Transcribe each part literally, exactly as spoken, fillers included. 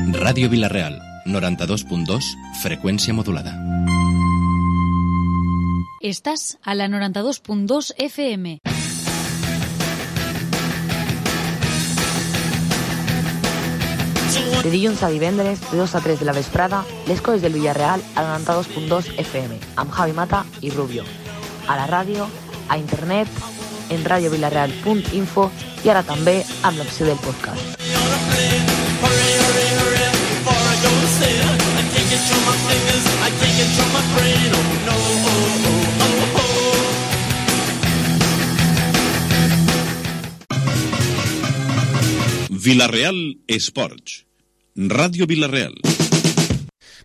Ràdio Vila-real, noranta-dos punt dos, freqüència modulada. Estàs a la noranta-dos punt dos F M. De dilluns a divendres, de dos a tres de la vesprada, les coses del Villarreal a noranta-dos punt dos F M, amb Javi Mata i Rubio. A la ràdio, a internet, en radiovilareal punt info i ara també amb l'opció del podcast. Vila-real Esports. Radio Vila-real.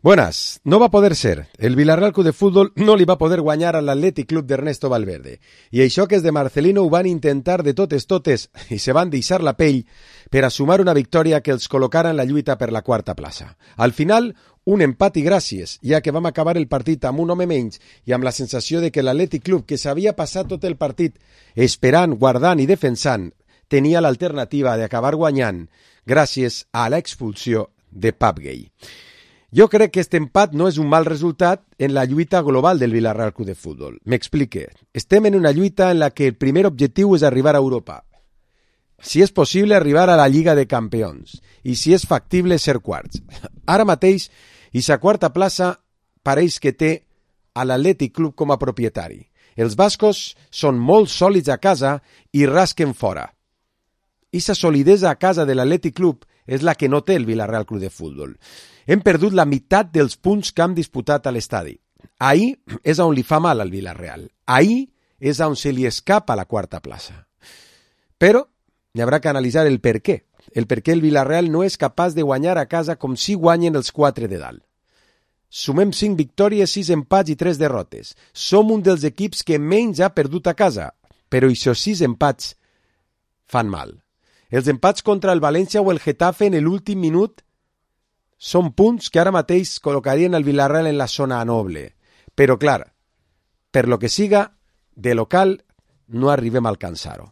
Buenas, no va a poder ser. El Villarreal Club de Fútbol no li va poder guanyar a l'Atlètic Club d'Ernesto Valverde. I això que és de Marcelino ho van intentar de totes totes i se van deixar la pell per a sumar una victòria que els col·locara en la lluita per la quarta plaça. Al final, un empat i gràcies, ja que vam acabar el partit amb un home menys i amb la sensació de que l'Atlètic Club, que s'havia passat tot el partit esperant, guardant i defensant, tenia l'alternativa d'acabar guanyant gràcies a l'expulsió de Pap Gay. Jo crec que aquest empat no és un mal resultat en la lluita global del Villarreal Club de Fútbol. M'explique. Estem en una lluita en la que el primer objectiu és arribar a Europa. Si és possible, arribar a la Lliga de Campions. I si és factible, ser quarts. Ara mateix, aquesta quarta plaça pareix que té a l'Atlètic Club com a propietari. Els bascos són molt sòlids a casa i rasquen fora. Issa solidesa a casa de l'Atlètic Club és la que no té el Villarreal Club de Fútbol. Hem perdut la meitat dels punts que hem disputat a l'estadi. Ahí és on li fa mal al Villarreal. Ahí és on se li escapa la quarta plaça. Però hi haurà que analitzar el per què. El per què el Villarreal no és capaç de guanyar a casa com si guanyen els quatre de dalt. Sumem cinc victòries, sis empats i tres derrotes. Som un dels equips que menys ha perdut a casa, però aquests sis empats fan mal. Els empats contra el València o el Getafe en l'últim minut són punts que ara mateix col·locarien el Villarreal en la zona noble. Però, clar, per lo que siga, de local no arribem a alcançar-ho.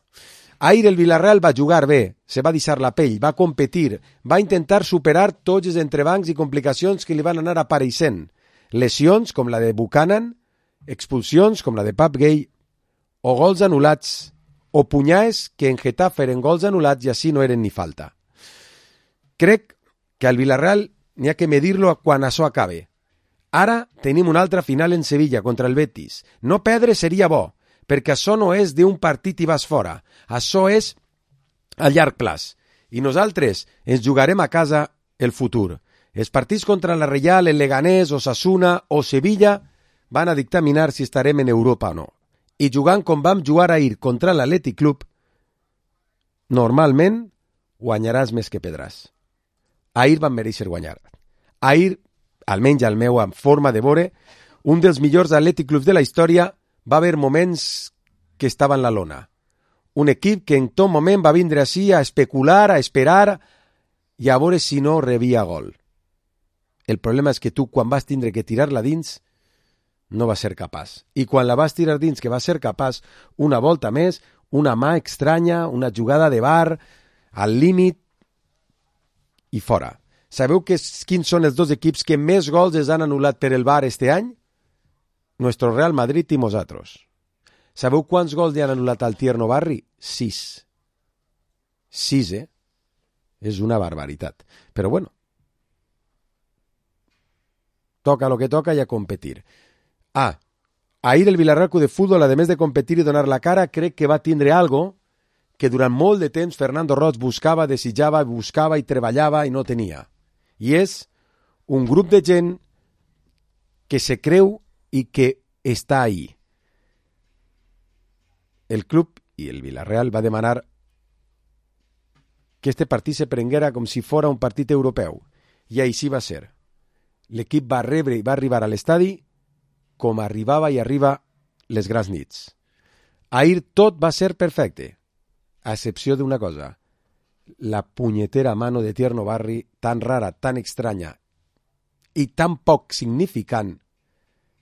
Ahir el Villarreal va jugar bé, se va deixar la pell, va competir, va intentar superar tots els entrebancs i complicacions que li van anar apareixent. Lesions com la de Buchanan, expulsions com la de Pap Gay o gols anul·lats o punyades que en Getafe eren gols anul·lats i així no eren ni falta. Crec que al Villarreal n'hi ha que medir-lo quan això acabe. Ara tenim una altra final en Sevilla contra el Betis. No perdre seria bo, perquè això no és d'un partit i vas fora. Això és a llarg plaç. I nosaltres ens jugarem a casa el futur. Els partits contra la Reial, el Leganés, Osasuna o Sevilla van a dictaminar si estarem en Europa o no. I jugant com vam jugar ahir contra l'Atlètic Club, normalment guanyaràs més que pedràs. Ahir van mereixer guanyar. Ahir, almenys al meu en forma de veure, un dels millors Atlètic Clubs de la història va haver moments que estava en la lona. Un equip que en tot moment va vindre així a especular, a esperar i a veure si no rebia gol. El problema és que tu, quan vas tindre que tirar-la dins, no va ser capaç. I quan la vas tirar dins, que va ser capaç, una volta més, una mà estranya, una jugada de bar, al límit i fora. Sabeu que, quins són els dos equips que més gols es han anul·lat per el bar este any? Nuestro Real Madrid i nosaltres. Sabeu quants gols li han anul·lat al Tierno Barri? Sis. Sis, eh? És una barbaritat. Però bueno, toca lo que toca i a competir. Ah, ahir el Villarreal Club de Fútbol, a més de competir i donar la cara, crec que va tindre algo que durant molt de temps Fernando Roig buscava, desitjava, buscava i treballava i no tenia. I és un grup de gent que se creu i que està ahí. El club i el Villarreal va demanar que este partit se prenguera com si fora un partit europeu. I així va ser. L'equip va rebre i va arribar a l'estadi com arribava i arriba les grans nits. Ahir tot va ser perfecte, a excepció d'una cosa. La punyetera mano de Tierno Barri, tan rara, tan estranya i tan poc significant,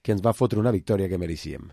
que ens va fotre una victòria que mereixíem.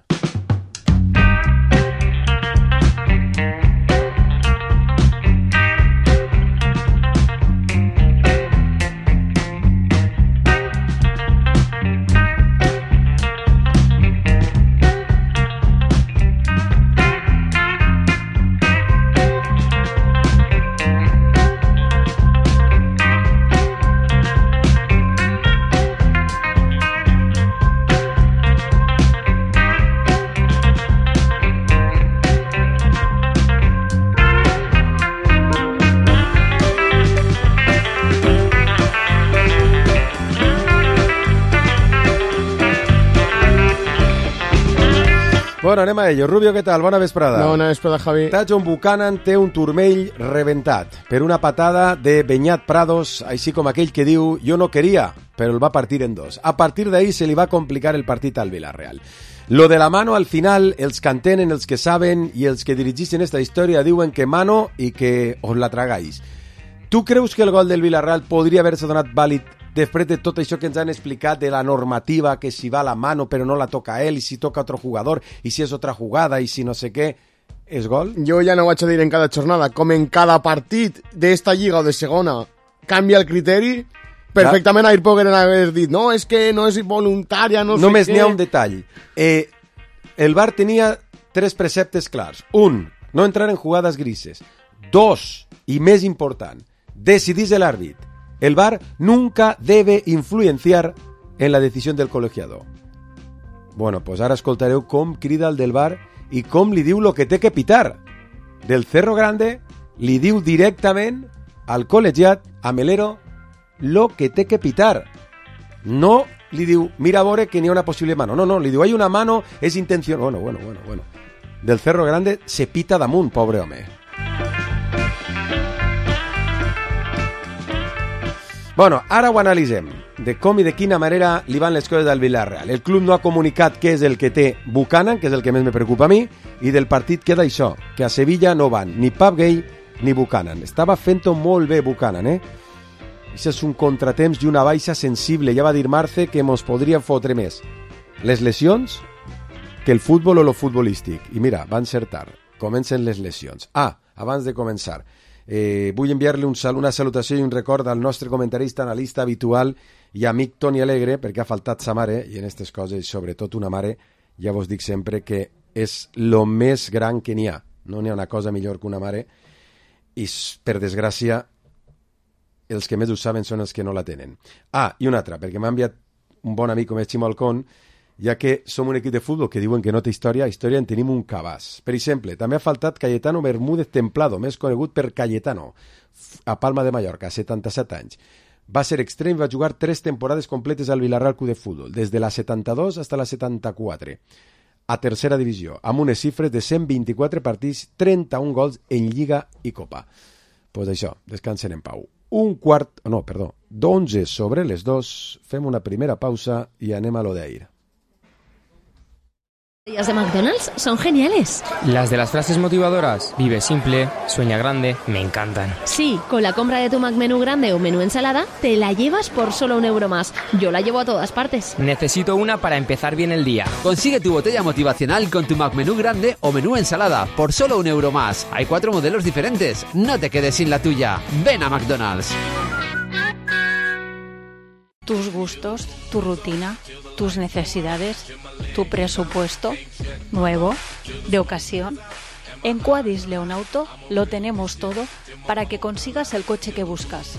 Bueno, anem a ello. Rubio, què tal? Bona vesprada. Bona vesprada, Javi. John Buchanan té un turmell rebentat per una patada de Beñat Prados, així com aquell que diu jo no quería, però el va partir en dos. A partir d'ahí se li va complicar el partit al Villarreal. Lo de la mano, al final, els que entenen, els que saben i els que dirigeixen esta història diuen que mano i que os la tragáis. Tu creus que el gol del Villarreal podria haver-se donat vàlid després de tot això que ens han explicat de la normativa, que si va la mano però no la toca ell, i si toca otro jugador, i si és otra jugada, i si no sé què, és gol? Jo ja no ho vaig a dir en cada jornada, com en cada partit d'esta lliga o de segona canvia el criteri, perfectament ahir pogueren haver dit no, és que no és voluntària, no sé Només què... n'hi ha un detall. Eh, el V A R tenia tres preceptes clars. Un, no entrar en jugades grises. Dos, i més important, decidís el àrbit. El V A R nunca debe influenciar en la decisión del colegiado. Bueno, pues ara escoltareu com crida el del V A R i com li diu lo que té que pitar. Del Cerro Grande li diu directament al col·legiat, a Melero, lo que té que pitar. No li diu, mira, Bore, que n'hi ha una possible mano. No, no, li diu, hay una mano, és intenció... Bueno, bueno, bueno, bueno. Del Cerro Grande se pita damunt, pobre home. Bueno, ara ho analitzem, de com i de quina manera li van les coses al Villarreal. El club no ha comunicat què és el que té Buchanan, que és el que més me preocupa a mi, i del partit queda això, que a Sevilla no van ni Pap Gay ni Buchanan. Estava fent-ho molt bé Buchanan, eh? Això és un contratemps i una baixa sensible. Ja va dir Marce que mos podrien fotre més les lesions que el futbol o lo futbolístic. I mira, van ser tard. Comencen les lesions. Ah, abans de començar... Eh, vull enviar-li un sal, una salutació i un record al nostre comentarista, analista habitual i amic Toni Alegre, perquè ha faltat sa mare, i en aquestes coses, sobretot una mare, ja vos dic sempre que és lo més gran que n'hi ha. No n'hi ha una cosa millor que una mare, i per desgràcia els que més ho saben són els que no la tenen. Ah, i una altra, perquè m'ha enviat un bon amic com és Ximo Alcón, ja que som un equip de futbol que diuen que no té història, història en tenim un cabàs. Per exemple, també ha faltat Cayetano Bermúdez Templado, més conegut per Cayetano, a Palma de Mallorca, setanta-set anys. Va ser extrem i va jugar tres temporades completes al Villarreal Club de Futbol, des de la setanta-dos fins a la setanta-quatre, a tercera divisió, amb unes xifres de cent vint-i-quatre partits, trenta-un gols en Lliga i Copa. Doncs pues això, descansen en pau. Un quart, no, perdó, d'onze sobre les dos, fem una primera pausa i anem a lo d'ahir. Las de McDonald's son geniales. Las de las frases motivadoras, vive simple, sueña grande, me encantan. Sí, con la compra de tu McMenú grande o menú ensalada, te la llevas por solo un euro más. Yo la llevo a todas partes. Necesito una para empezar bien el día. Consigue tu botella motivacional con tu McMenú grande o menú ensalada por solo un euro más. Hay cuatro modelos diferentes. No te quedes sin la tuya. Ven a McDonald's. Tus gustos, tu rutina, tus necesidades, tu presupuesto, nuevo, de ocasión. En Quadis Leonauto lo tenemos todo para que consigas el coche que buscas.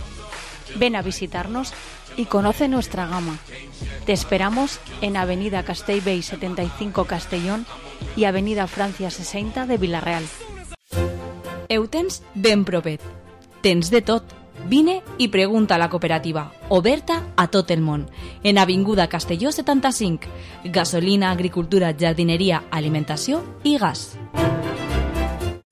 Ven a visitarnos y conoce nuestra gama. Te esperamos en Avenida Castellbell setenta y cinco Castellón y Avenida Francia seixanta de Villarreal. Ho tens ben propet. Tens de tot. Vine i pregunta a la cooperativa, oberta a tot el món, en Avinguda Castelló setanta-cinc, gasolina, agricultura, jardinería, alimentació i gas.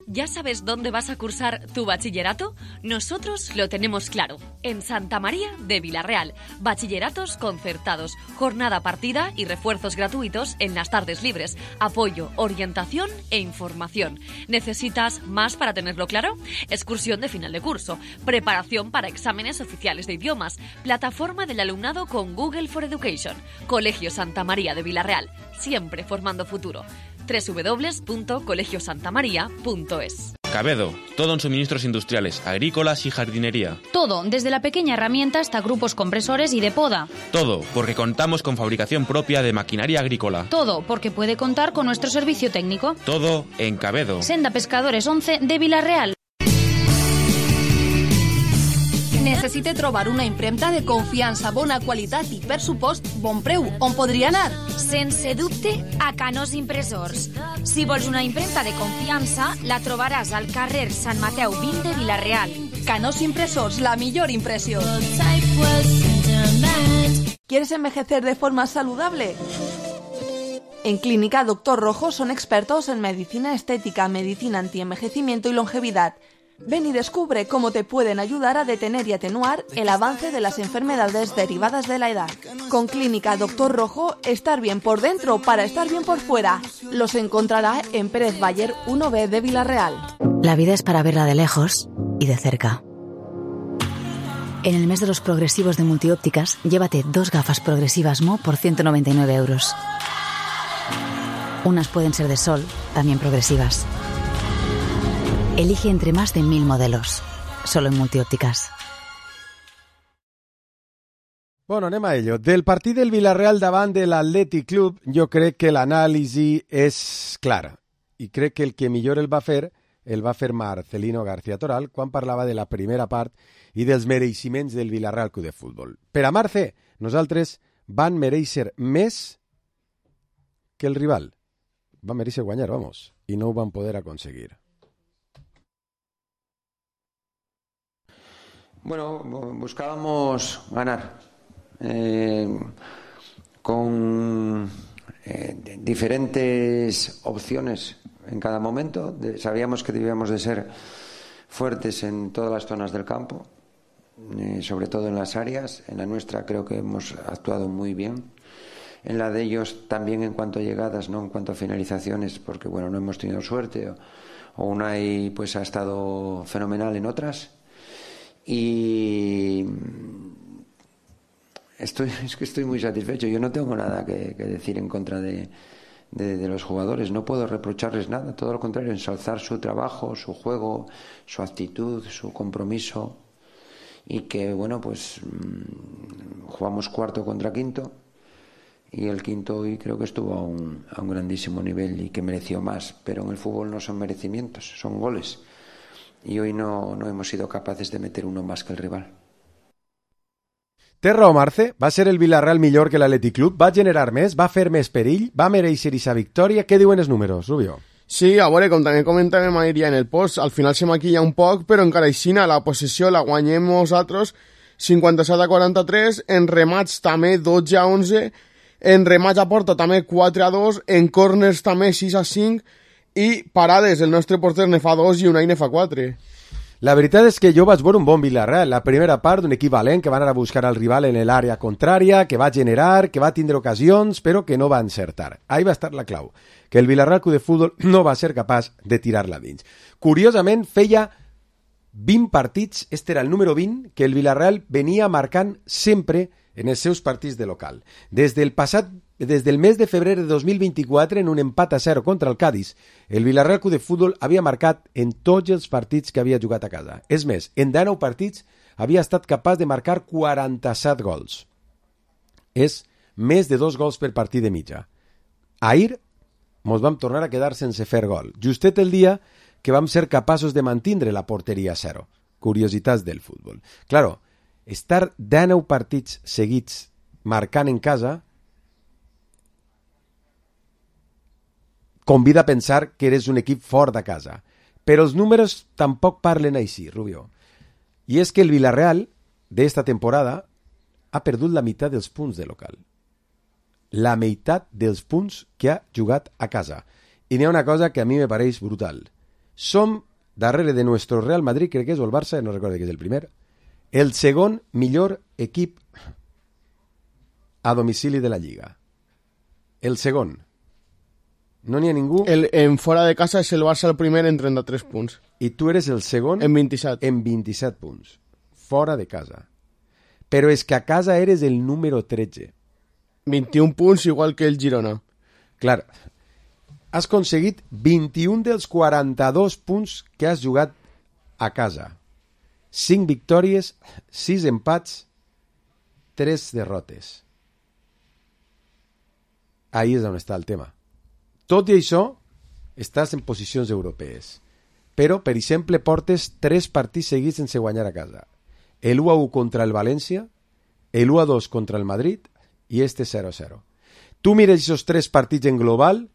¿Ya sabes dónde vas a cursar tu bachillerato? Nosotros lo tenemos claro. En Santa María de Villarreal. Bachilleratos concertados, jornada partida y refuerzos gratuitos en las tardes libres. Apoyo, orientación e información. ¿Necesitas más para tenerlo claro? Excursión de final de curso. Preparación para exámenes oficiales de idiomas. Plataforma del alumnado con Google for Education. Colegio Santa María de Villarreal. Siempre formando futuro. doble u doble u doble u punto colegio santa maría punto es. Cabedo, todo en suministros industriales, agrícolas y jardinería. Todo, desde la pequeña herramienta hasta grupos compresores y de poda. Todo, porque contamos con fabricación propia de maquinaria agrícola. Todo, porque puede contar con nuestro servicio técnico. Todo en Cabedo. Senda Pescadores once de Villarreal. Necessite trobar una impremta de confiança, bona qualitat i, per supost, bon preu. On podria anar? Sense dubte, a Canós Impressors. Si vols una impremta de confiança, la trobaràs al carrer Sant Mateu vint de Villarreal. Canós Impressors, la millor impressió. ¿Quieres envejecer de forma saludable? En Clínica Doctor Rojo son expertos en medicina estética, medicina antienvejecimiento y longevidad. Ven y descubre cómo te pueden ayudar a detener y atenuar el avance de las enfermedades derivadas de la edad. Con Clínica Doctor Rojo, estar bien por dentro para estar bien por fuera. Los encontrará en Pérez Bayer uno B de Villarreal. La vida es para verla de lejos y de cerca. En el mes de los progresivos de Multiópticas, llévate dos gafas progresivas Mo por ciento noventa y nueve euros. Unas pueden ser de sol, también progresivas. Elige entre más de mil modelos. Solo en Multiópticas. Bueno, anem a ello. Del partit del Villarreal davant de l'Atlètic Club, jo crec que l'anàlisi és clara. I crec que el que millor el va fer, el va fer Marcelino García Toral quan parlava de la primera part i dels mereixements del Villarreal Club de Futbol. Per a Marce, nosaltres van mereixer més que el rival. Van mereixer guanyar, vamos, i no ho van poder aconseguir. Bueno, buscábamos ganar eh, con eh, diferentes opciones en cada momento. De, sabíamos que debíamos de ser fuertes en todas las zonas del campo, eh, sobre todo en las áreas. En la nuestra creo que hemos actuado muy bien. En la de ellos también en cuanto a llegadas, no en cuanto a finalizaciones, porque bueno, no hemos tenido suerte o, o Unai pues ha estado fenomenal en otras. Y estoy, es que estoy muy satisfecho. Yo no tengo nada que, que decir en contra de, de, de los jugadores. No puedo reprocharles nada, todo lo contrario, ensalzar su trabajo, su juego, su actitud, su compromiso. Y que, bueno, pues mmm, jugamos cuarto contra quinto. Y el quinto hoy creo que estuvo a un, a un grandísimo nivel y que mereció más. Pero en el fútbol no son merecimientos, son goles. Y hoy no, no hemos sido capaces de meter uno más que el rival. Té raó, Marce. Va ser el Villarreal millor que l'Atlètic Club? Va generar més? Va fer més perill? Va mereixer esa victòria? Què diuen els números, Rubio? Sí, a veure, com també comentàvem ahir en el post, al final se maquilla un poc, però encara així la possessió la guanyem nosaltres cinquanta-set a quaranta-tres, en remats també dotze a onze, en remats a porta també quatre a dos, en corners també sis a cinc, i parades, el nostre porter ne fa dos i Unai ne fa quatre. La veritat és que jo vaig veure un bon Villarreal. La primera part d'un equip valent que va anar a buscar al rival en l'àrea contrària, que va generar, que va tindre ocasions, però que no va encertar. Ahí va estar la clau, que el Villarreal Club de Futbol no va ser capaç de tirar-la dins. Curiosament, feia vint partits, este era el número vint, que el Villarreal venia marcant sempre en els seus partits de local. Des del passat Des del mes de febrer de dos mil vint-i-quatre, en un empat a zero contra el Cádiz, el Villarreal Club de Futbol havia marcat en tots els partits que havia jugat a casa. És més, en dinou partits havia estat capaç de marcar quaranta-set gols. És més de dos gols per partit de mitja. Ahir mos vam tornar a quedar sense fer gol, justet el dia que vam ser capaços de mantindre la porteria a zero. Curiositats del futbol. Claro, estar dinou partits seguits marcant en casa convida a pensar que eres un equip fort de casa. Però els números tampoc parlen així, Rubio. I és que el Villarreal, d'esta temporada, ha perdut la meitat dels punts de local. La meitat dels punts que ha jugat a casa. I n'hi ha una cosa que a mi me pareix brutal. Som, darrere de nuestro Real Madrid, crec que és o el Barça, no recordo que és el primer, el segon millor equip a domicili de la Lliga. El segon. No n'hi ha ningú... El, en fora de casa és el Barça el primer en trenta-tres punts. I tu eres el segon... En vint-i-set. En vint-i-set punts. Fora de casa. Però és que a casa eres el número tretze. vint-i-un punts, igual que el Girona. Clar. Has aconseguit vint-i-un dels quaranta-dos punts que has jugat a casa. cinc victòries, sis empats, tres derrotes. Ahí és on està el tema. Tot i això, estàs en posicions europees. Però, per exemple, portes tres partits seguits sense guanyar a casa. El u a u contra el València, el u a dos contra el Madrid i este zero a zero. Tu mires aquests tres partits en global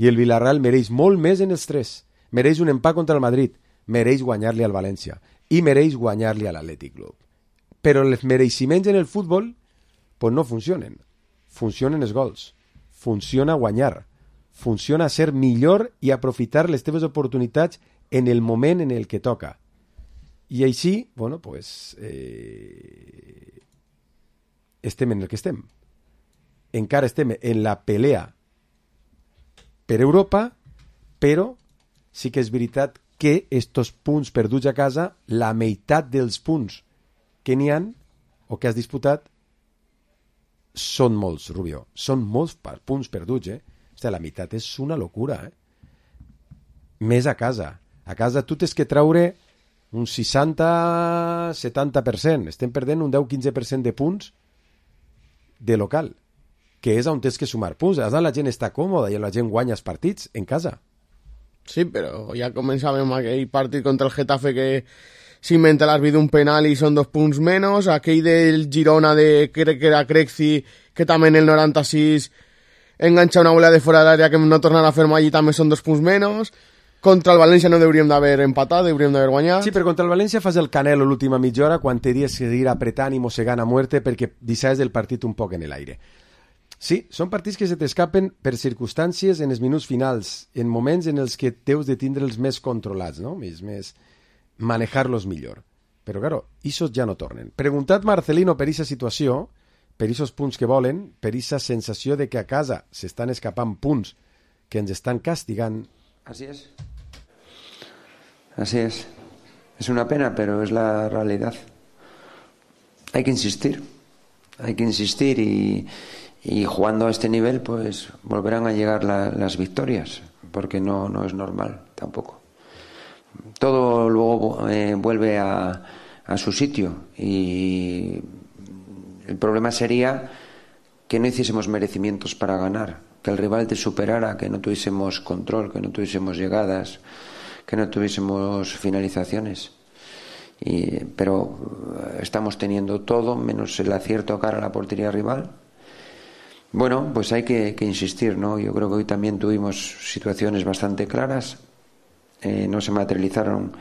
i el Villarreal mereix molt més en els tres. Mereix un empat contra el Madrid, mereix guanyar-li al València i mereix guanyar-li a l'Atlètic Club. Però els mereixements en el futbol pues no funcionen. Funcionen els gols. Funciona guanyar. funciona a ser millor i aprofitar les teves oportunitats en el moment en el que toca. I així, bueno, pues, eh, estem en el que estem. Encara estem en la pelea per Europa, però sí que és veritat que estos punts perduts a casa, la meitat dels punts que n'hi han o que has disputat són molts, Rubio. Són molts punts perduts, eh? Hòstia, la meitat és una locura, eh? Més a casa. A casa tu tens que treure un seixanta setanta per cent. Estem perdent un deu quinze per cent de punts de local, que és on tens que sumar punts. A la gent està còmoda i la gent guanya els partits en casa. Sí, però ja començàvem aquell partit contra el Getafe que s'inventa l'arbitre un penal i són dos punts menys, aquell del Girona de, crec que era Crexi, que també en el noranta-sis enganxa una bola de fora de l'àrea que no tornarà a fer mai i també són dos punts menys. Contra el València no hauríem d'haver empatat, hauríem d'haver guanyat. Sí, però contra el València fas el Canelo l'última mitja hora quan t'hauries de ir apretant i mossegant a muerte perquè deixaves el partit un poc en l'aire. Sí, són partits que se t'escapen per circumstàncies en els minuts finals, en moments en els que teus de tindre'ls més controlats, no? Més, més manejar-los millor. Però, claro, isos ja no tornen. Preguntat Marcelino per aquesta situació, per aquests punts que volen, per aquesta sensació de que a casa s'estan escapant punts que ens estan castigant. Así es. Así es. Es una pena, pero es la realidad. Hay que insistir. Hay que insistir y... y jugando a este nivel pues volverán a llegar la, las victorias, porque no, no es normal tampoco. Todo luego eh, vuelve a, a su sitio y el problema sería que no hiciésemos merecimientos para ganar, que el rival te superara, que no tuviésemos control, que no tuviésemos llegadas, que no tuviésemos finalizaciones. Y, pero estamos teniendo todo menos el acierto cara a la portería rival. Bueno, pues hay que, que insistir, ¿no? Yo creo que hoy también tuvimos situaciones bastante claras, eh, no se materializaron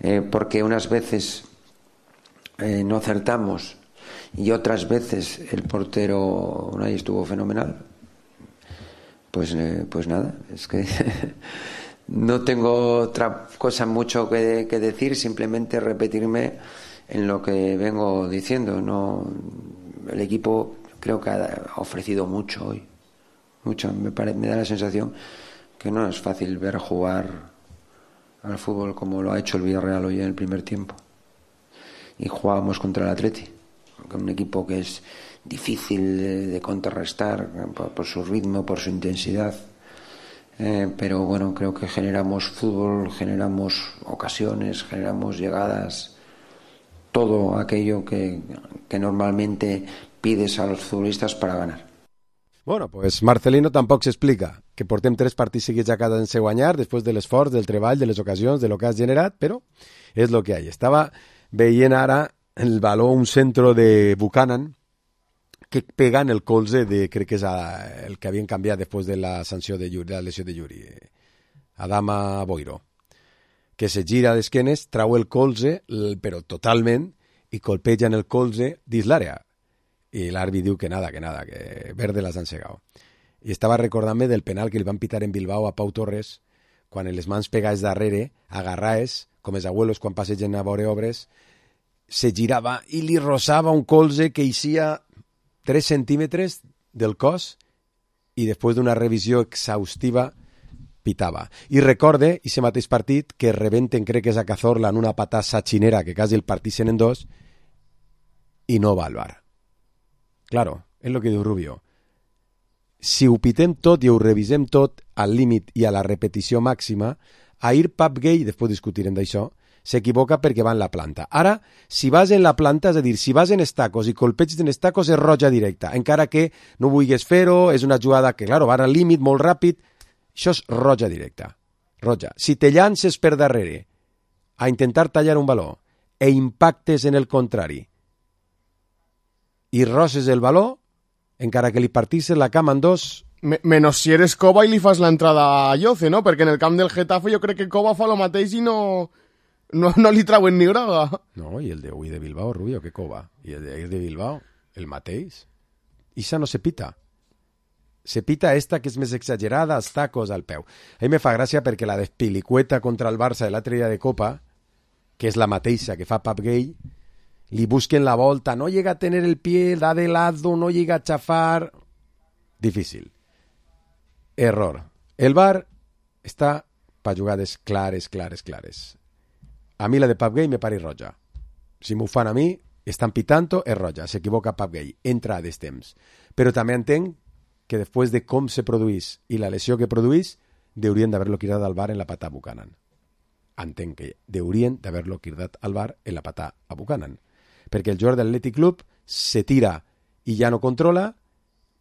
eh, porque unas veces eh, no acertamos y otras veces el portero Unai estuvo fenomenal. Pues, eh, pues nada, es que no tengo otra cosa mucho que, que decir, simplemente repetirme en lo que vengo diciendo, ¿no? El equipo creo que ha ofrecido mucho hoy, mucho. Me, pare, me da la sensación que no es fácil ver jugar al fútbol como lo ha hecho el Villarreal hoy en el primer tiempo. Y jugábamos contra el Atleti, un equipo que es difícil de, de contrarrestar por, por su ritmo, por su intensidad. Eh, pero bueno, creo que generamos fútbol, generamos ocasiones, generamos llegadas, todo aquello que, que normalmente pides a los futbolistas para ganar. Bueno, pues Marcelino tampoc s'explica que portem tres partits seguits a casa sense guanyar després de l'esforç, del treball, de les ocasions, de lo que has generat, però és lo que hay. Estava veient ara el baló, un centro de Buchanan que pega en el colze de, crec que és el que havien canviat després de la sanció de Yuri, de la lesió de Yuri, Adama Boiro, que se gira d'esquenes, trau el colze, però totalment, i colpeja en el colze dins l'àrea. I l'àrbit diu que nada, que nada, que verde las han segado. I estava recordant-me del penal que li van pitar en Bilbao a Pau Torres, quan les mans pegades darrere, agarraes, com els abuelos quan passegen a veure obres, se girava i li rosava un colze que eixia tres centímetres del cos i després d'una revisió exhaustiva pitava. I recorde, i ese mateix partit, que rebenten, crec que és a Cazorla, en una patà satxinera que quasi el partixen en dos i no va al bar. Claro, és el que diu Rubio. Si ho pitem tot i ho revisem tot al límit i a la repetició màxima, ahir Pap Gay, després discutirem d'això, s'equivoca perquè va en la planta. Ara, si vas en la planta, és a dir, si vas en estacos i colpeges en estacos és roja directa, encara que no vulguis fer-ho, és una jugada que, claro, va al límit molt ràpid, això és roja directa. Roja. Si te llances per darrere a intentar tallar un baló e impactes en el contrari i roses el baló, encara que li partisses la cama en dos... Me, menos si eres Cova i li fas l'entrada a Lloce, no? Perquè en el camp del Getafe jo crec que Cova fa lo mateix i no, no, no li trauen ni groga. No, i el de avui de Bilbao, Rubio, que Cova. I el de, el de Bilbao, el mateix. Ixa no se pita. se pita esta que és més exagerada, els tacos al peu. A mi me fa gràcia perquè la despilicueta contra el Barça de l'altre dia de Copa, que és la mateixa que fa Pap Gay, li busquen la volta, no llega a tener el pie, da de lado, no llega a chafar... Difícil. Error. El V A R està per jugades clares, clares, clares. A mi la de Pap Gay me pare roja. Si m'ho fan a mi, estan pitant, és roja. S'equivoca Pap Gay. Entra a destemps. Però també entenc que després de com se produís i la lesió que produís, deurien d'haver-lo cridat al V A R en la patà a Buchanan. Entenc que deurien d'haver-lo cridat al V A R en la patà a Buchanan. Perquè el jugador de l'Athletic Club se tira i ja no controla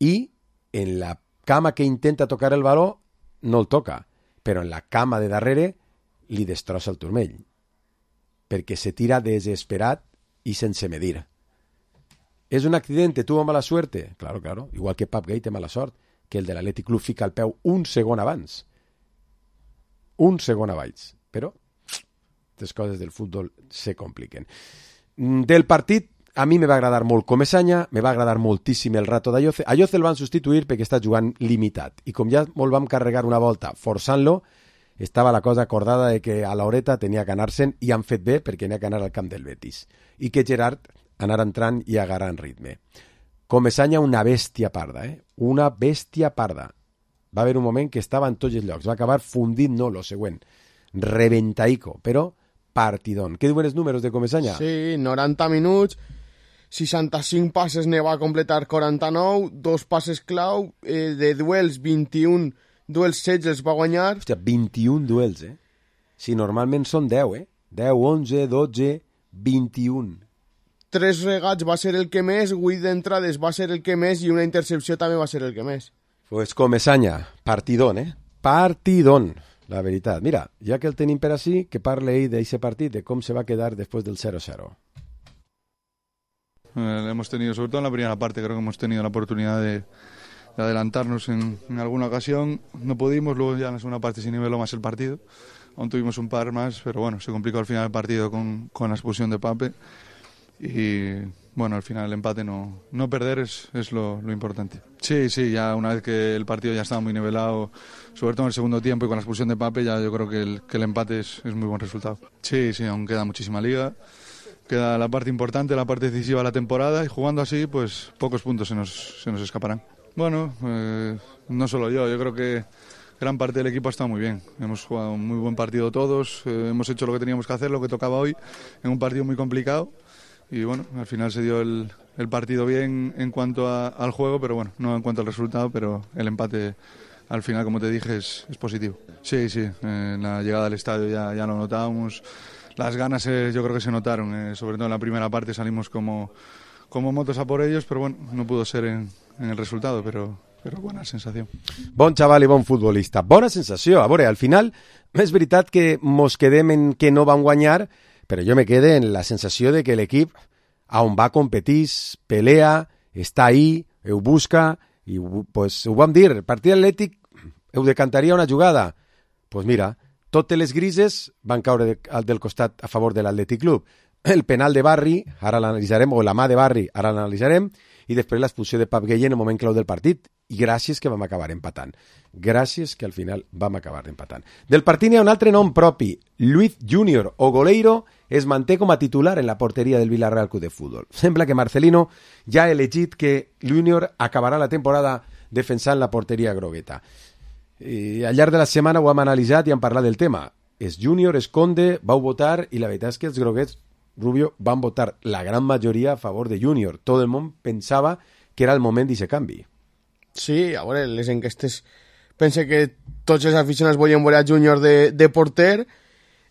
i en la cama que intenta tocar el baló no el toca, però en la cama de darrere li destrossa el turmell. Perquè se tira desesperat i sense medir. ¿Es un accidente? ¿Tuvo mala suerte? Claro, claro. Igual que Pap Gay té mala sort, que el de l'Athletic Club fica el peu un segon abans. Un segon abans. Però les coses del futbol se compliquen. Del partit, a mi me va agradar molt Comesaña, me va agradar moltíssim el rato d'Ayoce. Ayoce el van substituir perquè està jugant limitat. I com ja molt vam carregar una volta forçant-lo, estava la cosa acordada de que a l'horeta tenia que anar-se'n i han fet bé perquè n'hi ha que anar al camp del Betis. I que Gerard anar entrant i agarrant ritme. Comesaña una bèstia parda, eh? Una bèstia parda. Va haver un moment que estava en tots els llocs. Va acabar fundint, no, lo següent. Reventaico, però partidón. Què diuen els números de Comesaña? Sí, noranta minuts, seixanta-cinc passes ne va completar quaranta-nou, dos passes clau, eh, de duels vint-i-un duels setze els va guanyar. Hòstia, vint-i-un duels, eh? Si normalment són deu, eh? deu, onze, dotze, vint-i-un. Tres regats va ser el que més, vuit d'entrades va ser el que més i una intercepció també va ser el que més. Pues Comesaña, partidón, eh? Partidón, la veritat. Mira, ja que el tenim per així, que parle ell d'aquest partit, de com se va quedar després del cero cero. Eh, hemos tenido, sobre todo en la primera parte, creo que hemos tenido la oportunidad de, de adelantarnos en, en alguna ocasión. No pudimos, luego ya en la segunda parte se niveló más el partido. Aún tuvimos un par más, pero bueno, se complicó al final el partido con, con la expulsión de Pape. Y bueno, al final el empate, no, no perder es, es lo, lo importante. Sí, sí, ya una vez que el partido ya estaba muy nivelado, sobre todo en el segundo tiempo y con la expulsión de Pape, ya yo creo que el, que el empate es, es muy buen resultado. Sí, sí, aún queda muchísima liga. Queda la parte importante, la parte decisiva de la temporada y jugando así, pues pocos puntos se nos, se nos escaparán. Bueno, eh, no solo yo, yo creo que gran parte del equipo ha estado muy bien. Hemos jugado un muy buen partido todos, eh, hemos hecho lo que teníamos que hacer, lo que tocaba hoy, en un partido muy complicado. Y bueno, al final se dio el, el partido bien en cuanto a, al juego, pero bueno, no en cuanto al resultado, pero el empate al final, como te dije, es, es positivo. Sí, sí, eh, en la llegada al estadio ya, ya lo notábamos. Las ganas eh, yo creo que se notaron, eh, sobre todo en la primera parte salimos como, como motos a por ellos, pero bueno, no pudo ser en, en el resultado, pero, però bona sensació. Bon xaval i bon futbolista. Bona sensació. A veure, al final, és veritat que mos quedem en que no van guanyar, però jo me quede en la sensació de que l'equip a on va competís, pelea, està ahí, ho busca, i pues, ho vam dir, el partit atlètic ho decantaria una jugada. Pues mira, totes les grises van caure de, del costat a favor de l'Athletic Club. El penal de Barri, ara l'analitzarem, o la mà de Barri, ara l'analitzarem, i després l'expulsió de Pap Gay en el moment clau del partit. I gràcies que vam acabar empatant. Gràcies que al final vam acabar empatant. Del partit hi ha un altre nom propi. Luis Junior o Goleiro es manté com a titular en la porteria del Villarreal Club de Fútbol. Sembla que Marcelino ja ha elegit que Junior acabarà la temporada defensant la porteria grogueta. I al llarg de la setmana ho hem analitzat i hem parlat del tema. És Junior, és Conde, vau votar i la veritat és que els groguets, Rubio, van votar la gran majoria a favor de Junior. Tot el món pensava que era el moment d'aquest canvi. Sí, a veure, les enquestes pense que tots els aficionats volien veure a Junior de, de porter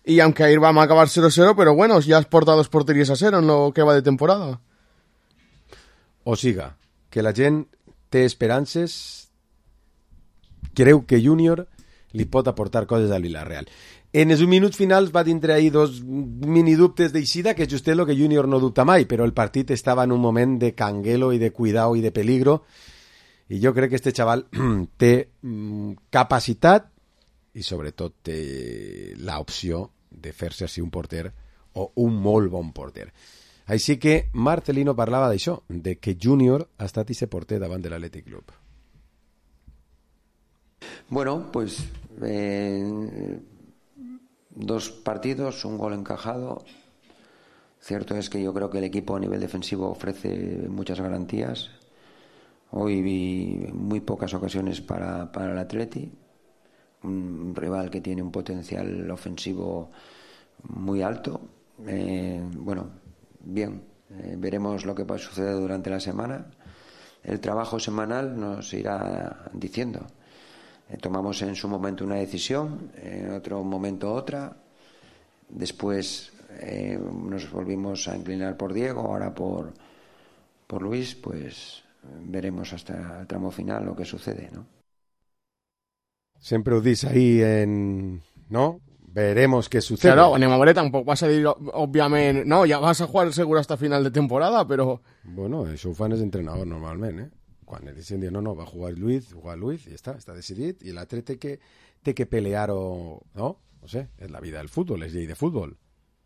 i aunque ahir vam acabar cero cero, però bueno, ja has portat dos porteries a cero en lo que va de temporada. O siga, que la gent té esperances, creu que Junior li pot aportar coses al Villarreal. En els minuts finals va tindre ahí dos mini dubtes d'eixida, que just és el que Junior no dubta mai, però el partit estava en un moment de canguelo i de cuidao i de peligro, i jo crec que este xaval té capacitat i sobretot té l'opció de fer-se així un porter o un molt bon porter. Així que Marcelino parlava d'això, de que Junior ha estat i se porter davant de l'Athletic Club. Bueno, pues eh, dos partidos, un gol encajado. Cierto es que yo creo que el equipo a nivel defensivo ofrece muchas garantías. Hoy vi muy pocas ocasiones para, para el Atleti, un rival que tiene un potencial ofensivo muy alto. Eh, bueno, bien, eh, veremos lo que sucede durante la semana. El trabajo semanal nos irá diciendo. Eh, tomamos en su momento una decisión, en otro momento otra. Después eh, nos volvimos a inclinar por Diego, ahora por, por Luis, pues veremos hasta el tramo final lo que sucede, ¿no? Sempre ho dis ahí en... ¿no? Veremos qué sucede. Claro, Nemamore tampoc va a salir, òbviament... No, ja vas a jugar segur hasta final de temporada, però... Bueno, això ho fan els entrenadors normalment, eh? Quan ells dicen, no, no, va a jugar Luis, jugar Luis, i ja està, està decidit, i l'altre té que, té que pelear-ho, no? No sé, és la vida del futbol, és llei de futbol.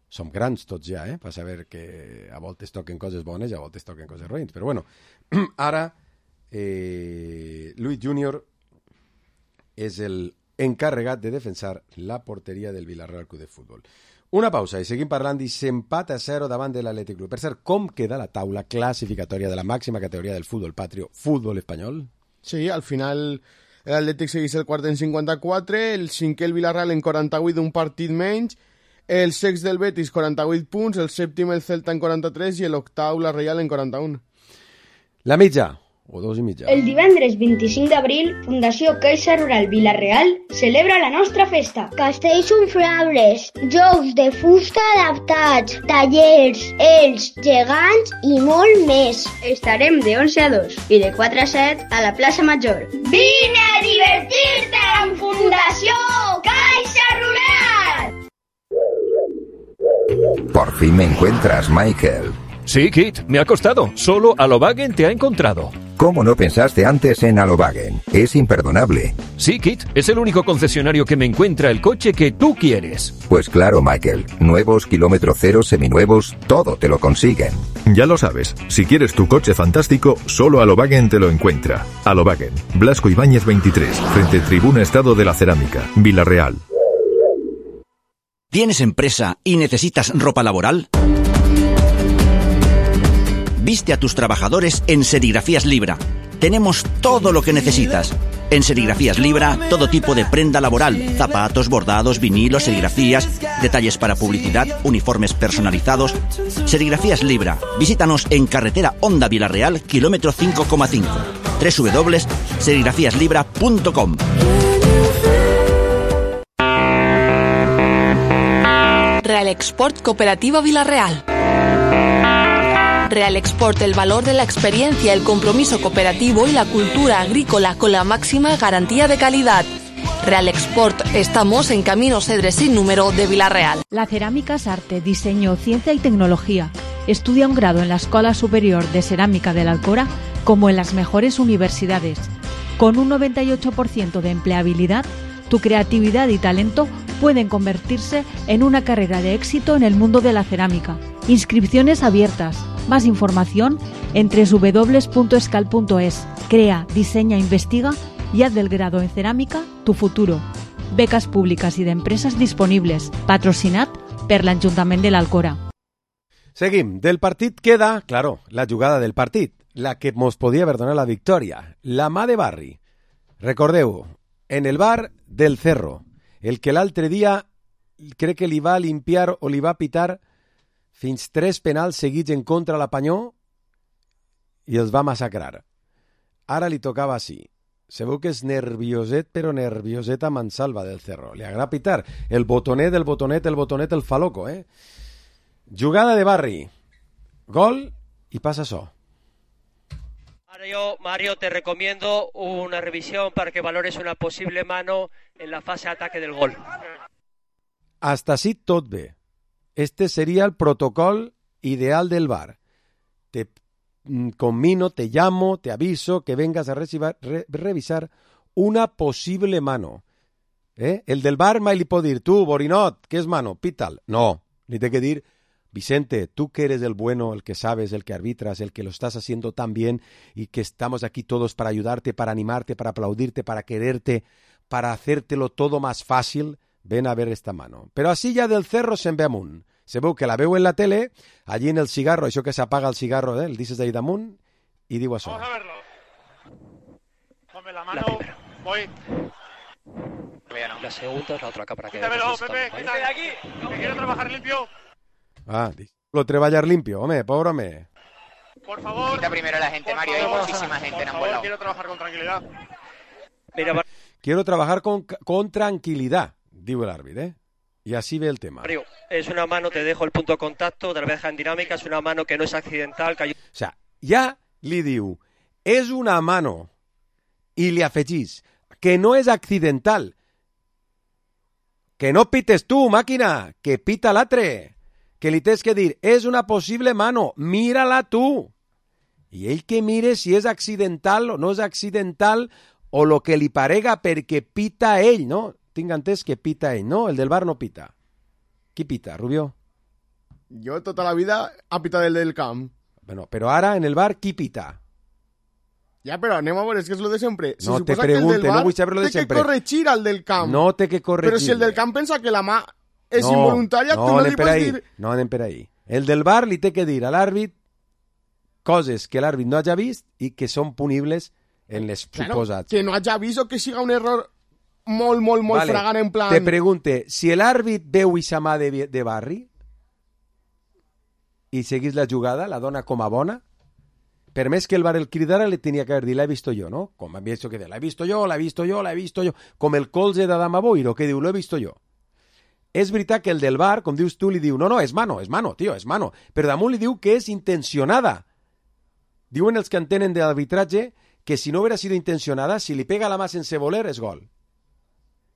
Som grans tots ja, eh? Per saber que a voltes toquen coses bones i a voltes toquen coses roïns. Però bueno, ara eh, Luis Junior és el encarregat de defensar la porteria del Villarreal Club de Futbol. Una pausa i seguim parlant d'aquest empat a zero davant de l'Atlètic Club. Per cert, com queda la taula classificatòria de la màxima categoria del futbol patrio, futbol espanyol? Sí, al final l'Atlètic segueix el quart en cinquanta-quatre, el cinquè el Villarreal en quaranta-vuit, un partit menys, el sext del Betis quaranta-vuit punts, el sèptim el Celta en quaranta-tres i l'octau la Reial en quaranta-un. La mitja, o dos i mitja. El divendres vint-i-cinc d'abril, Fundació Caixa Rural Vila-real celebra la nostra festa. Castells umflables, jocs de fusta adaptats, tallers, ells, gegants i molt més. Estarem de onze a dos i de quatre a set a la plaça Major. Vine a divertir-te amb Fundació Caixa Rural! Por fin me encuentras, Michael. Sí, Kit, me ha costado. Solo Alobagen te ha encontrado. ¿Cómo no pensaste antes en Alobagen? Es imperdonable. Sí, Kit, es el único concesionario que me encuentra el coche que tú quieres. Pues claro, Michael. Nuevos, kilómetro cero, seminuevos, todo te lo consiguen. Ya lo sabes. Si quieres tu coche fantástico, solo Alobagen te lo encuentra. Alobagen, Blasco Ibáñez veintitrés, frente Tribuna Estado de la Cerámica, Villarreal. ¿Tienes empresa y necesitas ropa laboral? Viste a tus trabajadores en Serigrafías Libra. Tenemos todo lo que necesitas. En Serigrafías Libra, todo tipo de prenda laboral, zapatos, bordados, vinilos, serigrafías, detalles para publicidad, uniformes personalizados. Serigrafías Libra. Visítanos en carretera Honda Villarreal, kilómetro cinco coma cinco. doble u doble u doble u punto serigrafías libra punto com. Real Export Cooperativa Villarreal. Real Export, el valor de la experiencia, el compromiso cooperativo y la cultura agrícola con la máxima garantía de calidad. Real Export, estamos en Camino Cedres sin número de Villarreal. La cerámica es arte, diseño, ciencia y tecnología. Estudia un grado en la Escuela Superior de Cerámica de la Alcora como en las mejores universidades. Con un noventa y ocho por ciento de empleabilidad, tu creatividad y talento pueden convertirse en una carrera de éxito en el mundo de la cerámica. Inscripciones abiertas. Más información en doble u doble u doble u punto escal punto es. Crea, diseña, investiga y haz del grado en cerámica tu futuro. Becas públicas y de empresas disponibles. Patrocinat per l'Ajuntament de l'Alcora. Seguim. Del partit queda, claro, la jugada del partit, la que mos podia haver donat la victòria. La mà de Barri. Recordeu, en el bar del Cerro, el que l'altre dia crec que li va limpiar o li va pitar fins tres penals seguits en contra la Panyó i els va massacrar. Ara li tocava així. Se veu que és nervioset, però nervioset a mansalva del Cerro. Li agrada pitar. El botonet, el botonet, el botonet, el fa loco, eh? Jugada de Barri. Gol i passa això. Ahora yo, Mario, te recomiendo una revisión para que valores una posible mano en la fase de ataque del gol. Hasta així tot bé. Este sería el protocolo ideal del V A R. Te combino, te llamo, te aviso que vengas a recibar, re, revisar una posible mano. ¿Eh? El del V A R mai li pot dir, tu, Borinot, què és mano? Pita'l. No, li té que dir Vicente, tú que eres el bueno, el que sabes, el que arbitras, el que lo estás haciendo tan bien y que estamos aquí todos para ayudarte, para animarte, para aplaudirte, para quererte, para hacértelo todo más fácil, ven a ver esta mano. Pero así ya del cerro se'n ve amunt. Se veu que la veu en la tele, allí en el cigarro, això que s'apaga el cigarro, eh? El dices d'ahí damunt y digo això. Vamos a verlo. Ponme la mano, la voy. La segunda es la otra cámara que... Quítamelo, Pepe, quítate de aquí, que quiero trabajar limpio. Ah, lo treballar limpio, home, pobre home. Por favor. Quita primero a la gente, Mario, hay muchísima gente en ambos lados. Quiero trabajar con tranquilidad. Mira, Quiero trabajar con, con tranquilidad, diu el árbitro, ¿eh? Y así ve el tema. Mario, es una mano, te dejo el punto de contacto, te la deja en dinámica, es una mano que no es accidental. Que... O sea, ja li diu, és una mano, i li afegís, que no és accidental. Que no pites tu, màquina, que pita l'altre. Que li tens que dir, és una possible mano, mira-la tu. I ell que mire si és accidental o no és accidental o lo que li parega perquè pita ell, no? Tinc entès que pita ell, no? El del bar no pita. Qui pita, Rubió? Jo tota la vida ha pitat el del camp. Bueno, però ara en el bar qui pita? Ja, però anem a veure, és que és lo de sempre. Se no te suposa pregunte, que el del bar no vull saber lo de té sempre. que corregir al del camp. No té que corregir. Però si el del camp pensa que la mà és no, involuntària, no, tu no li per pots ahí, dir... No anem per ahí. El del bar li té que dir a l'àrbit coses que l'àrbit no hagi vist i que són punibles en les Claro, suposats. que no hagi vist o que siga un error molt, molt, molt Vale, fragant en plan... Te pregunte, si l'àrbit veu ixa mà de, de barri i seguís la jugada, la dona com a bona, per més que el bar el cridara, li tenia que haver dit, l'he visto jo, no? Com havia visto que de, l'he visto jo, l'he visto jo, l'he visto jo, com el colze d'Adama Boiro, que diu, l'he visto jo. És veritat que el del bar, com dius tu, li diu, no, no, és mano, és mano, tio, és mano, però damunt li diu que és intencionada. Diuen els que entenen de l'arbitratge que si no hubiera sido intencionada, si li pega la mà sense voler, és gol.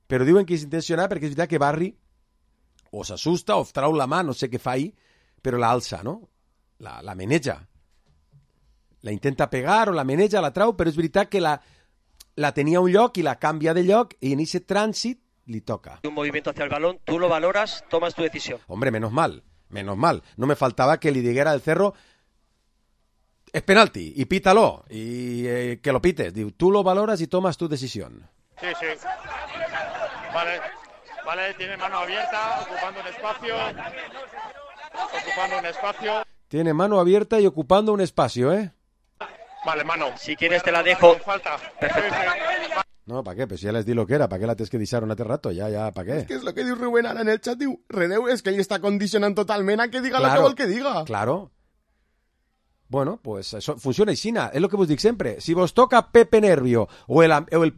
Però diuen que és intencionada perquè és veritat que Barri o s'assusta o trau la mà, no sé què fa ahí, però la alça, no? La, la meneja. La intenta pegar o la meneja, la trau, però és veritat que la, la tenia a un lloc i la canvia de lloc i en ese trànsit li toca. Un movimiento hacia el balón, tú lo valoras, tomas tu decisión. Hombre, menos mal, menos mal. No me faltaba que le dijera al Cerro, es penalti, y pítalo, y eh, que lo pites. Digo, tú lo valoras y tomas tu decisión. Sí, sí. Vale, vale, tiene mano abierta, ocupando un espacio. Ocupando un espacio. Tiene mano abierta y ocupando un espacio, ¿eh? Vale, mano. Si quieres te la dejo. Falta. Perfecto. No, ¿para qué? Pues ya les di lo que era, ¿para qué la tens que deixar un altre rato? Ya, ya, ¿para qué? És que és lo que diu Rubén ara en el xat, diu, Reneu, és que ell està condicionant totalment a que diga claro, lo que vol que diga. Claro. Bueno, pues eso funciona aixina, és lo que vos dic sempre. Si vos toca Pepe Nervio o el... O el...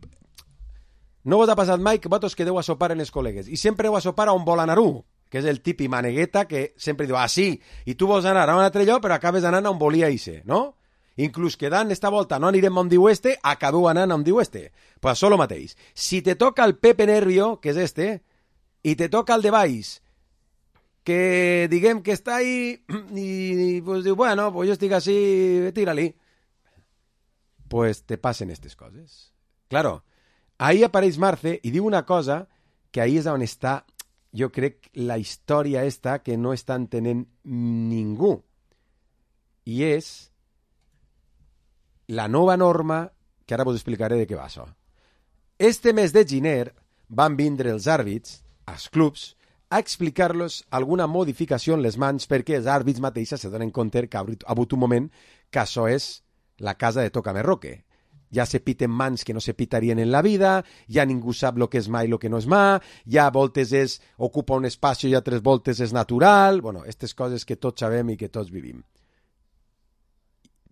No vos ha passat mai que vosaltres quedeu a sopar en els col·legues i sempre heu a sopar a un Bolanarú, que és el tipi manegueta que sempre diu, ah, sí, i tu vols anar a un altre lloc però acabes anant a on volia ixe, no? Inclús quedant esta volta no anirem on diu este, acabeu anant on diu este. Pues això lo mateix. Si te toca el Pepe Nervio, que és este, i te toca el de baix, que diguem que està ahí i pues diu, bueno, pues jo estic així, tira-li. Pues te passen aquestes coses. Claro, ahí apareix Marce i diu una cosa que ahí és on està, jo crec, la història esta que no està entenent ningú. I és la nova norma, que ara vos explicaré de què va això. Este mes de gener van vindre els àrbits, als clubs, a explicar-los alguna modificació en les mans perquè els àrbits mateixos se donen compte que ha hagut un moment que això és la casa de Tócame Roque. Ja se piten mans que no se pitarien en la vida, ja ningú sap lo que és mà i lo que no és mà, ja voltes és ocupa un espacio i altres voltes és natural, bueno, aquestes coses que tots sabem i que tots vivim.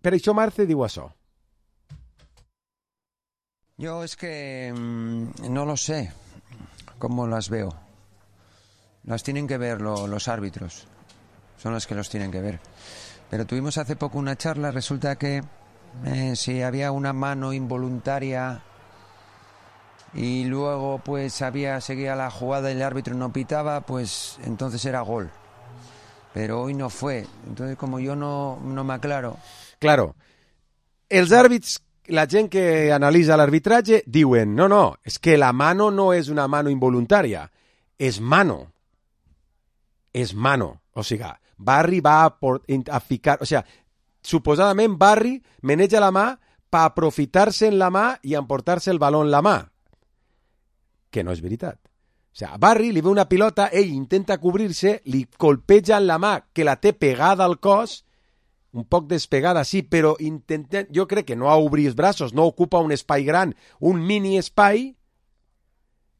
Per això Marce diu això. Yo es que mmm, no lo sé cómo las veo. Las tienen que ver lo, los árbitros. Son los que los tienen que ver. Pero tuvimos hace poco una charla, resulta que eh, si había una mano involuntaria y luego pues había seguía la jugada y el árbitro no pitaba, pues entonces era gol. Pero hoy no fue. Entonces como yo no, no me aclaro... Claro, els àrbits, la gent que analitza l'arbitratge, diuen, no, no, és que la mano no és una mano involuntària, és mano. És mano. O sigui, Barry va a, por, a ficar... O sigui, suposadament Barry maneja la mà per aprofitar-se en la mà i emportar-se el baló en la mà. Que no és veritat. O sigui, a Barry li ve una pilota, ell intenta cobrir-se, li colpeja en la mà que la té pegada al cos, un poc despegada, sí, però intenta, jo crec que no ha obrir els braços, no ocupa un espai gran, un mini espai,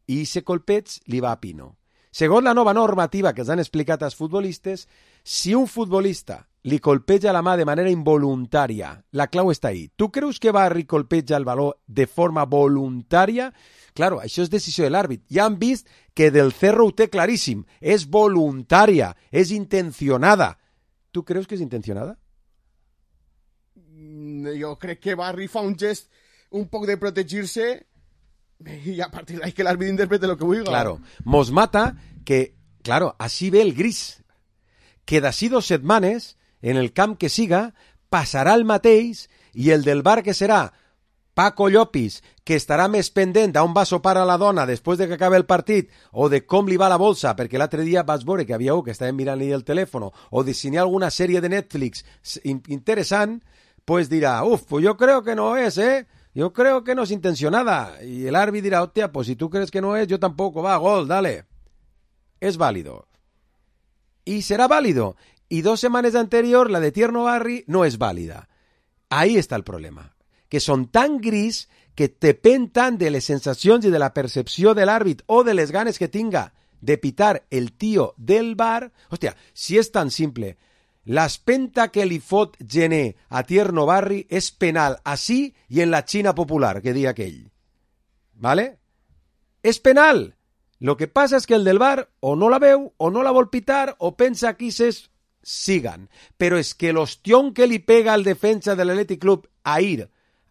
i ese colpeig li va a pino. Segons la nova normativa que els han explicat als futbolistes, si un futbolista li colpeja la mà de manera involuntària, la clau està ahí. Tu creus que Barry colpeja el baló de forma voluntària? Claro, això és decisió de l'àrbit. Ja han vist que Del Cerro ho té claríssim. És voluntària, és intencionada. Tu creus que és intencionada? Jo crec que Barry fa un gest un poc de protegir-se y a partir de ahí que el árbitro interprete lo que vulga. Claro, mos mata que, claro, así ve el gris. Que d'ací dos setmanes, en el camp que siga, passarà el mateix i el del bar que serà Paco Llopis, que estarà més pendent d'on va sopar a la dona després de que acabi el partit, o de com li va la bolsa, perquè l'altre dia vas veure que havia un que estava mirant-li el telèfon, o de si n'hi ha alguna sèrie de Netflix interessant, pues dirà, uf, pues yo creo que no es, ¿eh? Yo creo que no es intencionada. Y el árbitro dirá, hostia, pues si tú crees que no es, yo tampoco. Va, gol, dale. Es válido. Y será válido. Y dos semanas anterior, la de Tierno Barry no es válida. Ahí está el problema. Que son tan gris que dependen de les sensacions i de la percepció de l'àrbit o de les ganes que tinga de pitar el tío del bar. Hostia, si és tan simple... L'espenta que li fot Gené a Tierno Barry és penal així i en la Xina popular, que dia aquell. ¿Vale? És penal. Lo que passa és que el del bar o no la veu, o no la vol pitar, o pensa que ses sigan. Però és que l'ostión que li pega al defensa de l'Athletic Club a ir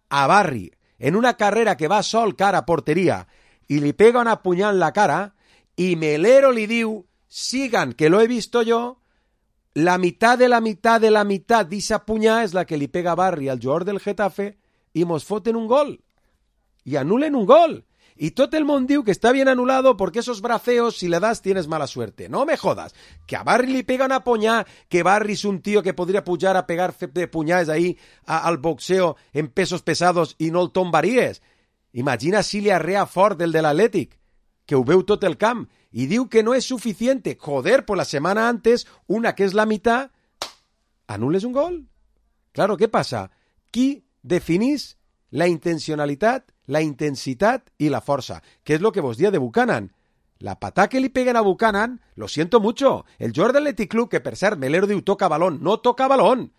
a Barry en una carrera que va sol cara a porteria i li pega una punyal en la cara i Melero li diu sigan, que lo he visto yo. La mitad de la mitad de la mitad d'esa punyà és la que li pega Barry al jugador del Getafe i mos foten un gol. I anulen un gol. Y tot el món diu que está bien anulado porque esos braceos, si le das, tienes mala suerte. No me jodas. Que a Barry li pega una punyà, que Barry es un tío que podría pujar a pegar de punyades ahí a, al boxeo en pesos pesados i no el tombaries. Imagina si li arrea fort el de l'Atlètic, que ho veu tot el camp. Y diu que no es suficiente. Joder, por la semana antes, una que es la mitad, anules un gol. Claro, ¿qué pasa? Qui definís la intencionalitat, la intensitat i la força? ¿Qué es lo que vos dia de Buchanan? La patá que li peguen a Buchanan, lo siento mucho. El jugador del Athletic Club, que per cert, Melero diu toca balón, no toca balón.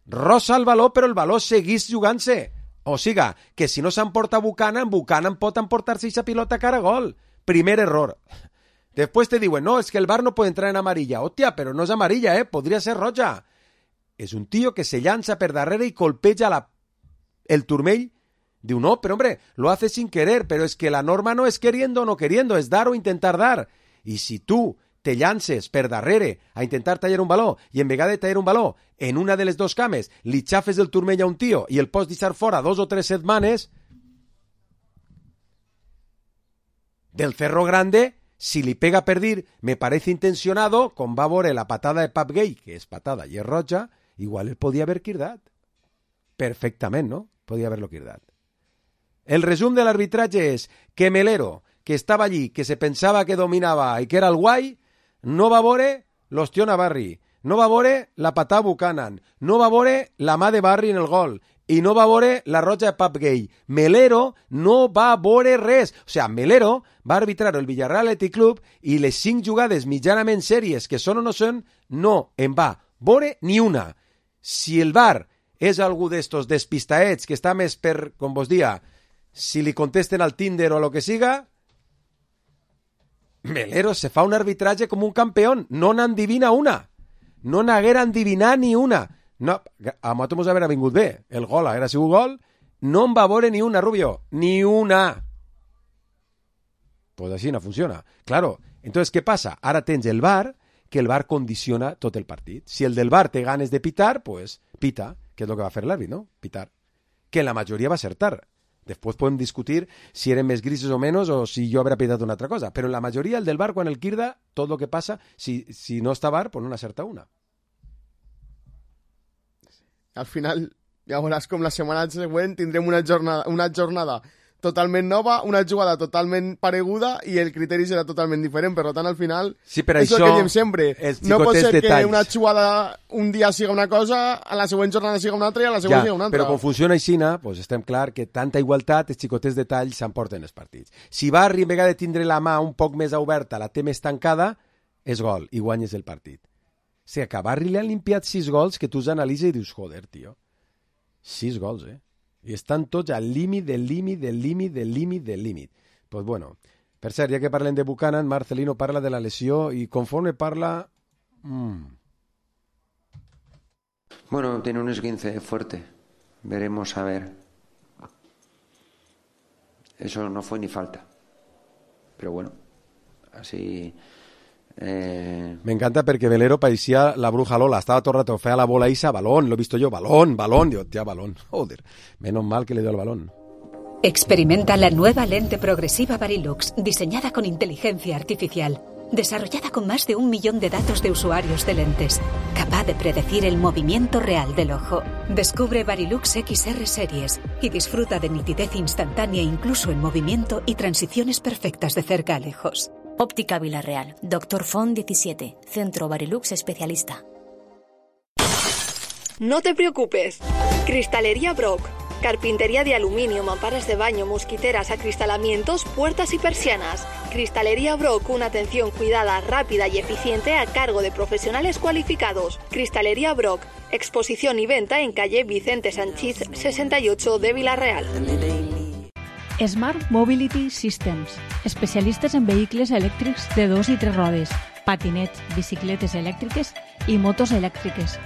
Rosa el baló, però el baló seguís jugant-se. O siga, que si no s'emporta Buchanan, Buchanan pot emportar-se aquesta pilota cara a gol. Primer error. Después te digo, no, es que el V A R no puede entrar en amarilla. Hostia, pero no es amarilla, ¿eh? Podría ser roja. Es un tío que se llanza per darrere y colpeja la... el turmell. Digo, no, pero hombre, lo hace sin querer, pero es que la norma no es queriendo o no queriendo, es dar o intentar dar. Y si tú te llances per darrere a intentar tallar un baló y en vegada de tallar un baló en una de les dos cames li xafes del turmell a un tío y el pots deixar fora dos o tres setmanes, Del Cerro Grande... Si li pega per dir, me parece intencionado, com va veure la patada de Pap Gay, que és patada i és roja, igual el podia haver quirdat. Perfectament, no? Podia haver-lo quirdat. El resum de l'arbitratge és que Melero, que estava allí, que se pensava que dominava i que era el guai, no va veure l'ostión a Barry, no va veure la patada a Buchanan, no va veure la mà de Barry en el gol, i no va veure la roja de Pap Gay. Melero no va veure res. O sigui, Melero va arbitrar el Villarreal Athletic Club i les cinc jugades mitjanament sèries que són o no són, no en va veure ni una. Si el V A R és algú d'estos despistaets que està més per, com vos dia, si li contesten al Tinder o lo que siga, Melero se fa un arbitratge com un campeón. No n'endivina una. No n'haguera endivinat ni una. No, a nosaltres mos haver vingut bé. El gol haguera sigut gol. No en va veure ni una, Rubio. Ni una. Pues així no funciona. Claro, entonces, ¿qué pasa? Ara tens el V A R, que el V A R condiciona tot el partit. Si el del V A R té ganes de pitar, pues pita, que és el que va fer l'àrbit, no? Pitar. Que en la majoria va acertar. Después pueden discutir si eren més grises o menos o si jo habré pitat una altra cosa. Però en la majoria, el del bar, quan el quirda, tot el que passa, si, si no està bar, pues no n'acerta una. Al final, ja veuràs com la setmana següent tindrem una jornada, una jornada totalment nova, una jugada totalment pareguda i el criteri serà totalment diferent. Per tant, al final, sí, per és això, el que diem sempre. No pot ser detalls. que una jugada un dia siga una cosa, a la següent jornada siga una altra i a la següent ja, siga una altra. Però com funciona aixina, pues estem clar que tanta igualtat, els xicotets detalls s'emporten els partits. Si Barri, en vegada de tindre la mà un poc més oberta, la té més tancada, és gol i guanyes el partit. O sigui, que a Barri li han limpiat sis gols que tu us analitzes i dius, joder, tio, sis gols, eh? I estan tots al límit del límit del límit del límit del límit. Pues bueno, per cert, ja que parlem de Buchanan, Marcelino parla de la lesió i conforme parla... Mmm. Bueno, tiene un esguince fuerte. Veremos a ver. Eso no fue ni falta. Pero bueno, así... Eh... Me encanta perquè Velero parecía la bruja Lola, estaba todo el rato fea la bola Isa, balón, lo he visto yo, balón, balón, digo, tía, balón, joder, menos mal que le dio el balón. Experimenta la nueva lente progresiva Varilux, diseñada con inteligencia artificial, desarrollada con más de un millón de datos de usuarios de lentes, capaz de predecir el movimiento real del ojo. Descubre Varilux X R Series y disfruta de nitidez instantánea incluso en movimiento y transiciones perfectas de cerca a lejos. Óptica Villarreal, Doctor Font diecisiete, Centro Varilux Especialista. No te preocupes. Cristalería Brock. Carpintería de aluminio, mamparas de baño, mosquiteras, acristalamientos, puertas y persianas. Cristalería Brock, una atención cuidada, rápida y eficiente a cargo de profesionales cualificados. Cristalería Brock, exposición y venta en calle Vicente Sanchís sesenta y ocho de Villarreal. Smart Mobility Systems, especialistes en vehicles elèctrics de dos i tres rodes, patinets, bicicletes elèctriques i motos elèctriques.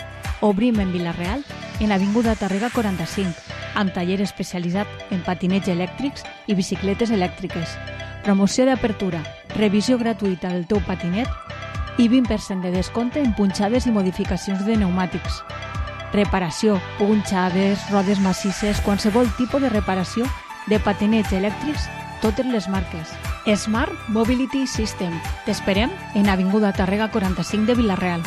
Obrim en Vila-real, en Avinguda Tàrrega quaranta-cinc, amb taller especialitzat en patinets elèctrics i bicicletes elèctriques. Promoció d'apertura, revisió gratuïta del teu patinet i vint per cent de descompte en punxades i modificacions de pneumàtics. Reparació, punxades, rodes massisses, qualsevol tipus de reparació de patinets elèctrics, totes les marques. Smart Mobility System. T'esperem en Avinguda Tàrrega quaranta-cinc de Vila-real.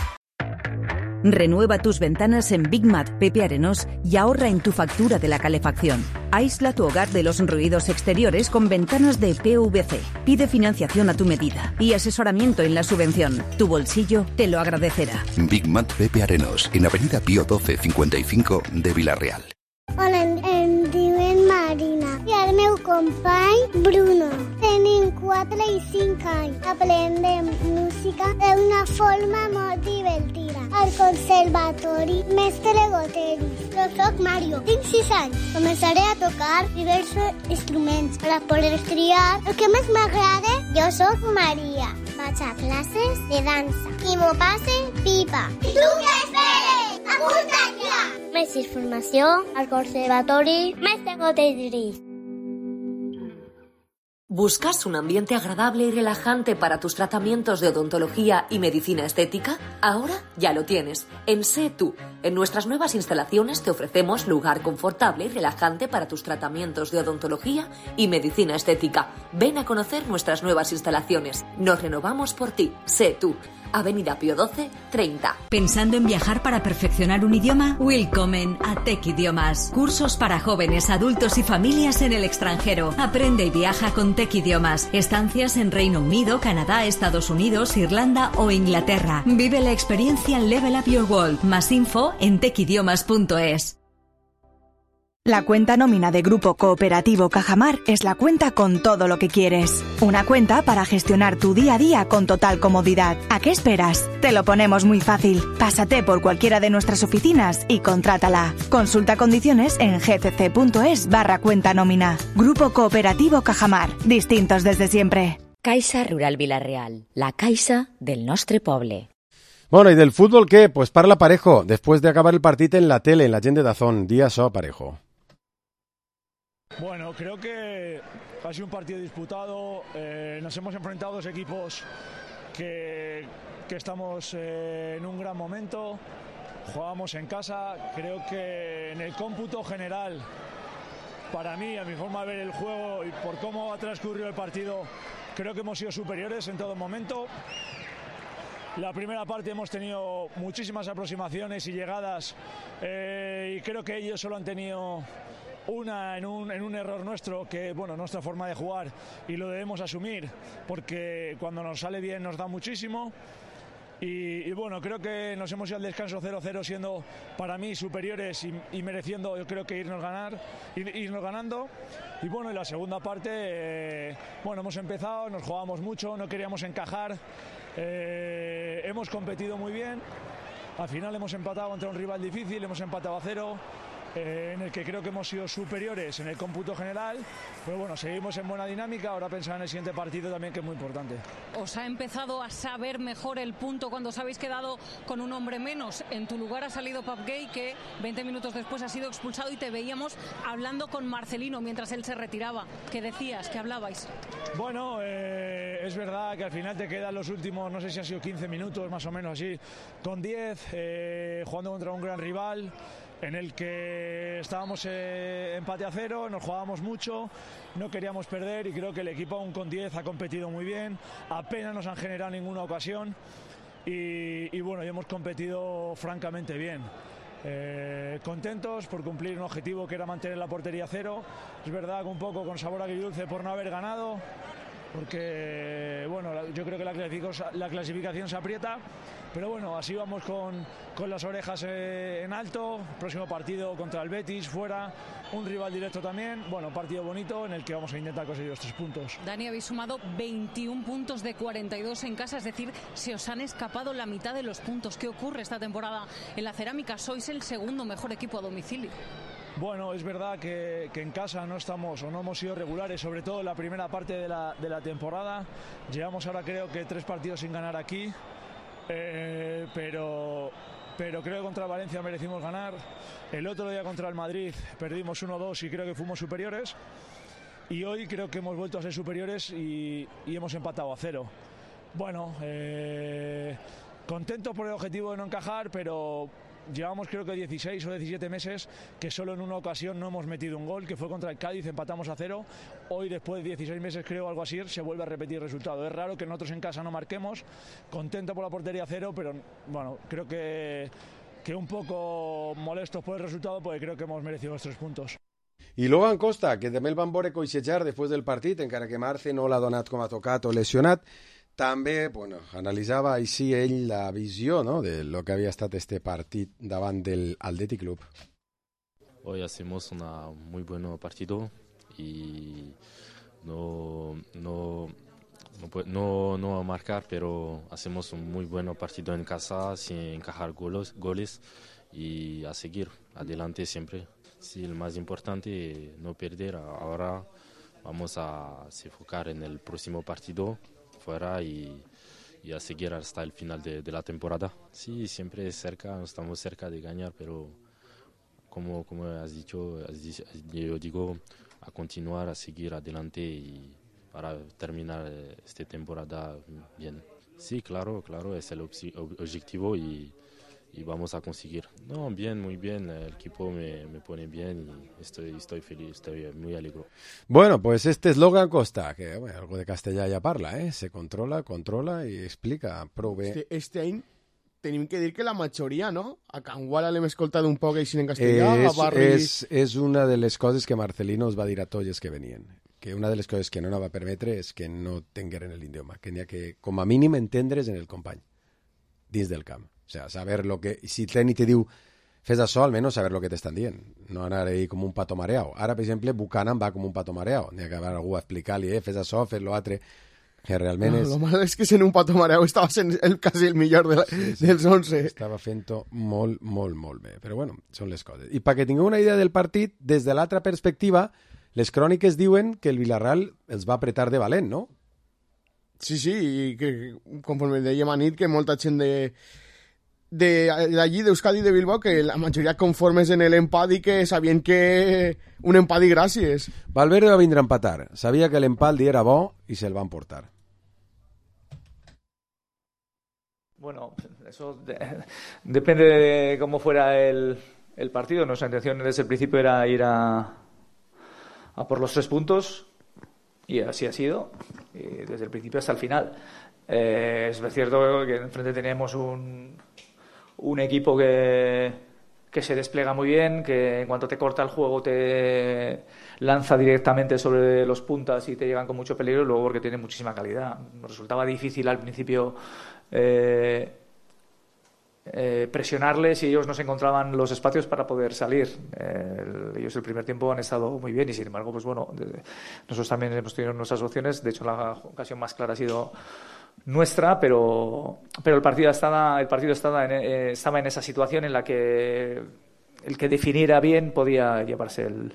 Renueva tus ventanas en Big Mat Pepe Arenós y ahorra en tu factura de la calefacción. Aísla tu hogar de los ruidos exteriores con ventanas de P V C. Pide financiación a tu medida y asesoramiento en la subvención. Tu bolsillo te lo agradecerá. Big Mat Pepe Arenós, en Avenida Pío doce cincuenta y cinco de Vila-real. Hola, em, em diuen Marina i el meu company Bruno. Tenim quatre i cinc anys. Aprendem música d'una forma molt divertida. Al conservatori Mestre Goteris. Jo soc Mario, tinc sis anys. Començaré a tocar diversos instruments per a poder triar el que més m'agrada. Jo soc Maria. Vaig a classes de dansa i m'ho passe pipa. I tu què esperes? Apunta't ja! Més informació al Conservatori Mestre Goteris. ¿Buscas un ambiente agradable y relajante para tus tratamientos de odontología y medicina estética? Ahora ya lo tienes. En Sé Tú. En nuestras nuevas instalaciones te ofrecemos lugar confortable y relajante para tus tratamientos de odontología y medicina estética. Ven a conocer nuestras nuevas instalaciones. Nos renovamos por ti. Sé Tú. Avenida Pío doce, treinta. ¿Pensando en viajar para perfeccionar un idioma? Willkommen a Tech Idiomas. Cursos para jóvenes, adultos y familias en el extranjero. Aprende y viaja con Tech Idiomas. Estancias en Reino Unido, Canadá, Estados Unidos, Irlanda o Inglaterra. Vive la experiencia Level Up Your World. Más info en tech idiomas punto es. La cuenta nómina de Grupo Cooperativo Cajamar es la cuenta con todo lo que quieres. Una cuenta para gestionar tu día a día con total comodidad. ¿A qué esperas? Te lo ponemos muy fácil. Pásate por cualquiera de nuestras oficinas y contrátala. Consulta condiciones en gcc.es barra cuenta nómina. Grupo Cooperativo Cajamar. Distintos desde siempre. Caixa Rural Vila-real, la caixa del nostre poble. Bueno, ¿y del fútbol qué? Pues parla Parejo, después de acabar el partido en la tele, en la gent de Dazón. Día so, Parejo. Bueno, creo que ha sido un partido disputado. Eh, nos hemos enfrentado a dos equipos que, que estamos eh, en un gran momento. Jugamos en casa. Creo que en el cómputo general para mí, a mi forma de ver el juego y por cómo ha transcurrido el partido, creo que hemos sido superiores en todo momento. La primera parte hemos tenido muchísimas aproximaciones y llegadas eh, y creo que ellos solo han tenido una en un, en un error nuestro, que bueno, nuestra forma de jugar, y lo debemos asumir porque cuando nos sale bien nos da muchísimo. Y, y bueno, creo que nos hemos ido al descanso cero cero siendo para mí superiores y, y mereciendo, yo creo que irnos ganar, ir, irnos ganando. Y bueno, en la segunda parte, eh, bueno, hemos empezado, nos jugábamos mucho, no queríamos encajar, eh, hemos competido muy bien. Al final hemos empatado contra un rival difícil, hemos empatado a cero. Eh, en el que creo que hemos sido superiores en el cómputo general, pero bueno, seguimos en buena dinámica. Ahora pensar en el siguiente partido también, que es muy importante. ¿Os ha empezado a saber mejor el punto cuando os habéis quedado con un hombre menos? En tu lugar ha salido Pap Gay, que veinte minutos después ha sido expulsado, y te veíamos hablando con Marcelino mientras él se retiraba. ¿Qué decías? ¿Qué hablabais? Bueno, eh, es verdad que al final te quedan los últimos, no sé si han sido quince minutos más o menos así, con diez, eh, jugando contra un gran rival en el que estábamos eh, empate a cero, nos jugábamos mucho, no queríamos perder, y creo que el equipo aún con diez ha competido muy bien, apenas nos han generado ninguna ocasión y, y bueno, y hemos competido francamente bien. Eh, contentos por cumplir un objetivo que era mantener la portería a cero. Es verdad que un poco con sabor agridulce por no haber ganado, porque bueno, yo creo que la clasificación, la clasificación se aprieta, pero bueno, así vamos con, con las orejas eh, en alto. Próximo partido contra el Betis, fuera, un rival directo también. Bueno, partido bonito en el que vamos a intentar conseguir los tres puntos. Dani, habéis sumado veintiún puntos de cuarenta y dos en casa, es decir, se os han escapado la mitad de los puntos. ¿Qué ocurre esta temporada en la Cerámica? Sois el segundo mejor equipo a domicilio. Bueno, es verdad que, que en casa no estamos o no hemos sido regulares, sobre todo en la primera parte de la, de la temporada. Llevamos ahora creo que tres partidos sin ganar aquí, eh, pero, pero creo que contra Valencia merecimos ganar. El otro día contra el Madrid perdimos uno dos y creo que fuimos superiores. Y hoy creo que hemos vuelto a ser superiores y, y hemos empatado a cero. Bueno, eh, contentos por el objetivo de no encajar, pero llevamos creo que dieciséis o diecisiete meses que solo en una ocasión no hemos metido un gol, que fue contra el Cádiz, empatamos a cero. Hoy, después de dieciséis meses, creo, algo así, se vuelve a repetir el resultado. Es raro que nosotros en casa no marquemos. Contento por la portería a cero, pero bueno, creo que, que un poco molestos por el resultado, porque creo que hemos merecido los tres puntos. I Logan Costa, que també el van veure coixejar després del partit, encara que Marce no l'ha donat com a tocat o lesionat, també bueno, analitzava així ell la visió, ¿no?, de lo que havia estat este partit davant del Athletic Club. Hoy hacemos un muy buen partido y no, no, no, no, no a marcar, pero hacemos un muy buen partido en casa sin encajar goles, goles y a seguir adelante siempre. Sí, el más importante no perder. Ahora vamos a se enfocar en el próximo partido fuera y, y a seguir hasta el final de, de la temporada. Sí, siempre cerca, estamos cerca de ganar, pero como, como has dicho, yo digo, a continuar, a seguir adelante y para terminar esta temporada bien. Sí, claro, claro, es el objetivo y y vamos a conseguir. No, bien, muy bien, el equipo me, me pone bien y estoy, estoy feliz, estoy muy alegre. Bueno, pues este es Logan Costa, que bueno, algo de castellà ja parla, eh? Se controla, controla i explica prou bé. Este, este any tenim que dir que la majoria, no? A Can Guala l'hem escoltat un poc així en castellà, és, a Barri... És, és una de les coses que Marcelino us va dir a tots els que venien, que una de les coses que no va permetre és que no tingueren l'idioma, que n'hi ha que, com a mínim, entendre's en el company, dins del camp. O sea, saber lo que... Si Teni te diu fes això, almenys saber lo que t'estan dient. No anar ahí com un pato mareado. Ara, per exemple, Buchanan va com un pato mareado. N'hi ha que haver algú a explicar-li, eh, fes això, fes lo altre, que realment no, és... Lo malo és que sent un pato mareado estava sent el, quasi el millor de la, sí, sí, dels onze. Estava fent-ho molt, molt, molt bé. Però bueno, són les coses. I perquè tingueu una idea del partit, des de l'altra perspectiva, les cròniques diuen que el Villarreal els va apretar de valent, no? Sí, sí, i que conforme dèiem a nit, que molta gent de... d'allí, d'Euskadi i de Bilbao, que la majoria conformes en l'empat i que sabien que un empat i gràcies. Valverde va vindre a empatar. Sabia que l'empat li era bo i se'l van portar. Bueno, eso de, depende de cómo fuera el, el partido. Nuestra intención desde el principio era ir a, a por los tres puntos, y así ha sido, y desde el principio hasta el final. Eh, es cierto que enfrente tenemos un, un equipo que, que se despliega muy bien, que en cuanto te corta el juego te lanza directamente sobre los puntas y te llegan con mucho peligro, y luego porque tiene muchísima calidad. Nos resultaba difícil al principio eh, eh, presionarles, y ellos no se encontraban los espacios para poder salir. Eh, ellos el primer tiempo han estado muy bien, y sin embargo, pues bueno, de, nosotros también hemos tenido nuestras opciones. De hecho, la ocasión más clara ha sido nuestra, pero pero el partido estaba el partido estaba en, eh, estaba en esa situación en la que el que definiera bien podía llevarse el,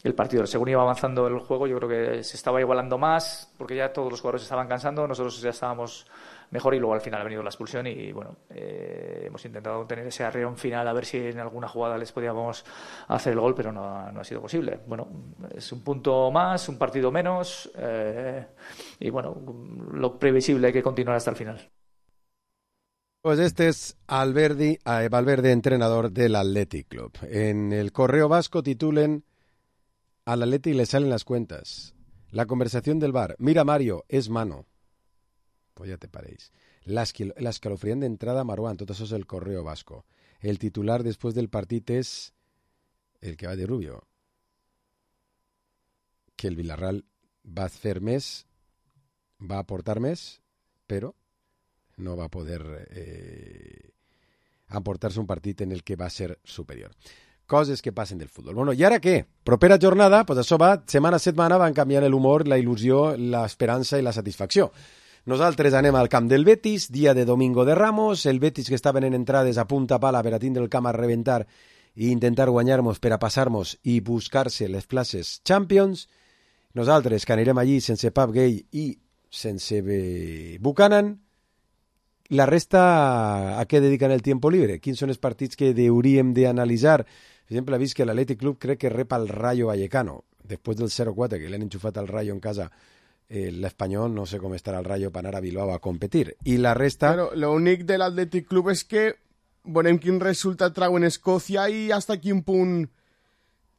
el partido. Según iba avanzando el juego, yo creo que se estaba igualando más, porque ya todos los jugadores estaban cansando, nosotros ya estábamos mejor, y luego al final ha venido la expulsión y bueno, eh, hemos intentado tener ese arreón final a ver si en alguna jugada les podíamos hacer el gol, pero no, no ha sido posible. Bueno, es un punto más, un partido menos, eh, y bueno, lo previsible, hay que continuar hasta el final. Pues este es Alberdi, eh, Valverde, entrenador del Athletic Club. En el Correo Vasco titulen: al Athletic le salen las cuentas. La conversación del bar. Mira, Mario, es mano. Pues ya te paréis. La, esquil- la escalofriant d'entrada Marwan, tot això és el Correo Vasco. El titular después del partit és el que va de Rubio. Que el Villarreal va a hacer més, va a aportar més, però no va a poder eh, aportar-se un partit en el que va a ser superior. Coses que passen del futbol. Bueno, i ara què? Propera jornada, pues això va, setmana a setmana van canviant l'humor, la il·lusió, l'esperança i la satisfacció. Nosaltres anem al camp del Betis, dia de Domingo de Ramos, el Betis que estaven en entrades a punta pala per a tindre el camp a reventar i intentar guanyar-nos per a passar-nos i buscar-se les places Champions. Nosaltres que anirem allí sense Pap Gay i sense Buchanan. La resta, a què dediquen el tiempo libre? Quins són els partits que hauríem d'analitzar? Per exemple, ha vist que l'Athletic Club crec que rep al Rayo Vallecano, després del zero quatre que l'han enxufat al Rayo en casa. Eh, l'Espanyol, no sé com estarà el Rayo per anar a Bilbao a competir. I la resta... Però l'únic de l'Athletic Club és que veurem quin resultat trau en Escòcia i hasta quin punt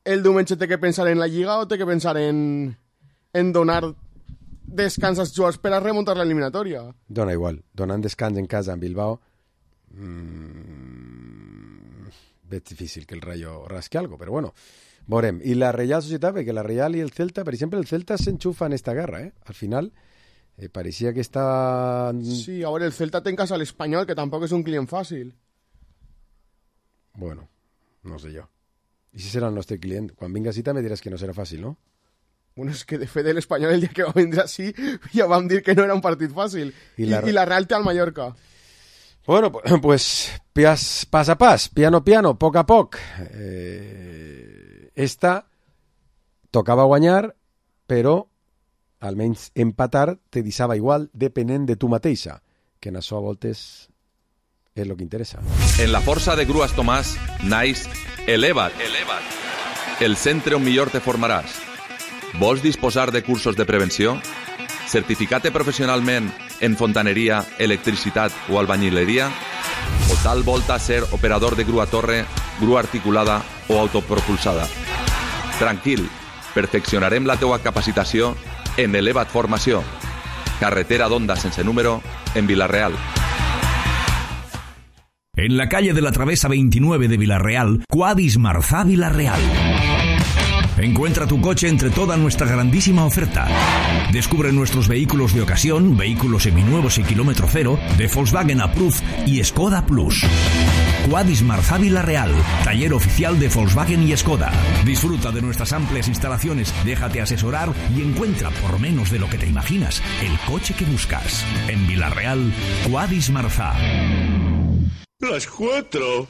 el diumenge té que pensar en la Lliga o té que pensar en, en donar descans als jugadors per a remuntar l'eliminatòria. Dona igual, donant descans en casa en Bilbao mmm, és difícil que el Rayo rasque algo, però bueno, veurem. I la Real Societat, perquè la Real i el Celta, per exemple, el Celta s'enxufa en esta guerra, eh? Al final, eh, pareixia que estava... Sí, a veure, el Celta té en casa l'Espanyol, que tampoc és un client fàcil. Bueno, no sé jo. I si serà el nostre client? Quan vinga així també diràs que no serà fàcil, no? Bueno, és que de fet l'Espanyol el dia que va vindre així ja vam dir que no era un partit fàcil. I la, I, i la Real té al Mallorca. Bueno, pues pas, pas a pas, piano piano, poc a poc. Eh, esta tocava guanyar, però almenys empatar te deixava igual depenent de tu mateixa, que en això a voltes és el que interessa. En la força de Grues Tomàs naix Eleva't, Eleva't, el centre on millor te formaràs. Vols disposar de cursos de prevenció? Certificat professionalment en fontaneria, electricitat o albañileria? O tal volta ser operador de grua torre, grua articulada o autopropulsada? Tranquil, perfeccionarem la teua capacitació en Eleva't Formació. Carretera d'Onda sense número en Vila-real. En la calle de la Travesa veintinueve de Vila-real, Quadis Marzá Vila-real. Encuentra tu coche entre toda nuestra grandísima oferta. Descubre nuestros vehículos de ocasión, vehículos seminuevos y kilómetro cero, de Volkswagen Approved y Skoda Plus. Quadis Marzá Vila-real, taller oficial de Volkswagen y Skoda. Disfruta de nuestras amplias instalaciones, déjate asesorar y encuentra, por menos de lo que te imaginas, el coche que buscas. En Vila-real, Quadis Marzá. Las cuatro.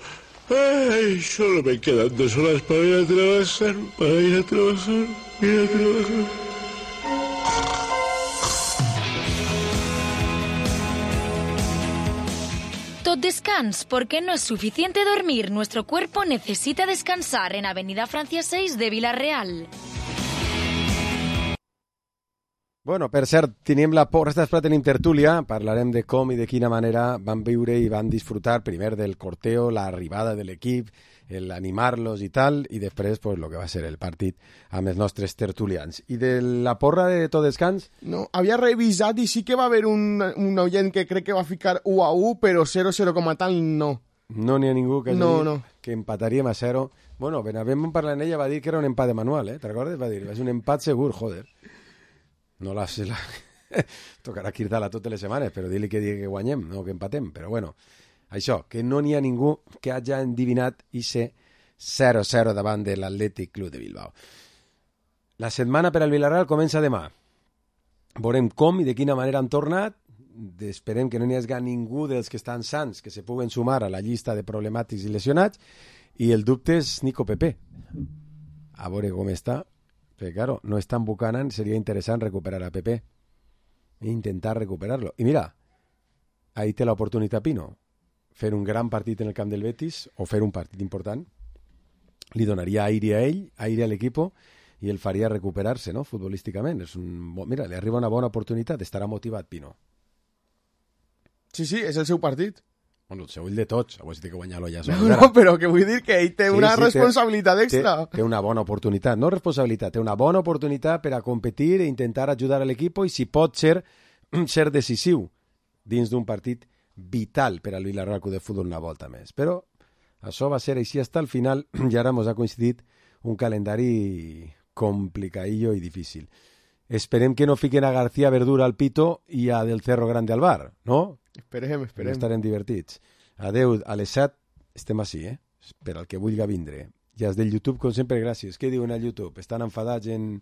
Ay, solo me quedan dos horas para ir a trabajar, para ir a trabajar, ir a trabajar. Tot descans, porque no es suficiente dormir. Nuestro cuerpo necesita descansar en Avenida Francia seis de Vila-real. Bueno, per cert, tenim la porta després tenim tertúlia, parlarem de com i de quina manera van viure i van disfrutar primer del corteo, l'arribada de l'equip el animar-los i tal, i després pues, lo que va ser el partit amb els nostres tertulians. I de la porra de tot descans? No, havia revisat i sí que va haver un, un oient que crec que va ficar u a u, però zero cero com a tal no. No n'hi ha ningú que hagi no, dit no. que empataríem a zero. Bueno, Benavent parlant ella va dir que era un empat de manual, eh? Te'n recordes? Va dir, és un empat segur, joder. No la... la... Tocarà cridar-la totes les setmanes, però dir-li que digui que guanyem, no que empatem. Però bueno, això, que no n'hi ha ningú que hagi endivinat i ser zero zero davant de l'Atlètic Club de Bilbao. La setmana per al Villarreal comença demà. Veurem com i de quina manera han tornat. Esperem que no n'hi hagi ningú dels que estan sants que se puguen sumar a la llista de problemàtics i lesionats. I el dubte és Nico Pepe. A veure com està. Perquè, claro, no és tan Buchanan, seria interessant recuperar a Pepe. E intentar recuperar-lo. I mira, ahí té l'oportunitat Pino. Fer un gran partit en el camp del Betis o fer un partit important li donaria aire a ell, aire a l'equip i el faria recuperar-se, no?, futbolísticament. És un... Mira, li arriba una bona oportunitat, estarà motivat Pino. Sí, sí, és el seu partit. Bueno, el seu, el de tots, avui té que guanyar-lo ja. No, no, però que vull dir que ell té sí, una sí, responsabilitat té, extra. Té, té una bona oportunitat, no responsabilitat, té una bona oportunitat per a competir e intentar ajudar a l'equip i si pot ser, ser decisiu dins d'un partit vital per al Villarreal Club de Futbol una volta més. Però això va ser així fins al final i ara ens ha coincidit un calendari complicadillo i difícil. Esperem que no fiquen a García Verdura al pito i a Del Cerro Grande al bar, no? Esperem, esperem. No estarem divertits. Adeu, a les set estem així, eh? Per al que vulgui vindre. I els del YouTube, com sempre, gràcies. Què diuen al YouTube? Estan enfadats en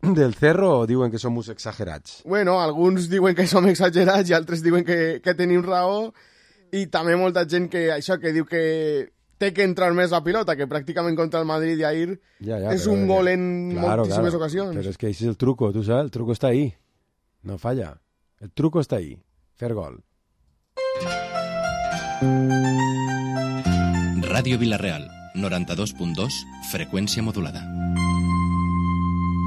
Del Cerro o diuen que som uns exagerats? Bueno, alguns diuen que som exagerats i altres diuen que, que tenim raó i també molta gent que això que diu que té que entrar més la pilota, que pràcticament contra el Madrid i ahir ja, ja, és un gol en claro, moltíssimes claro. ocasions. Però és que això és el truco, tu saps? El truco està ahí. No falla. El truco està ahí. Fer gol. Ràdio Vilareal, noranta-dos punt dos, freqüència modulada.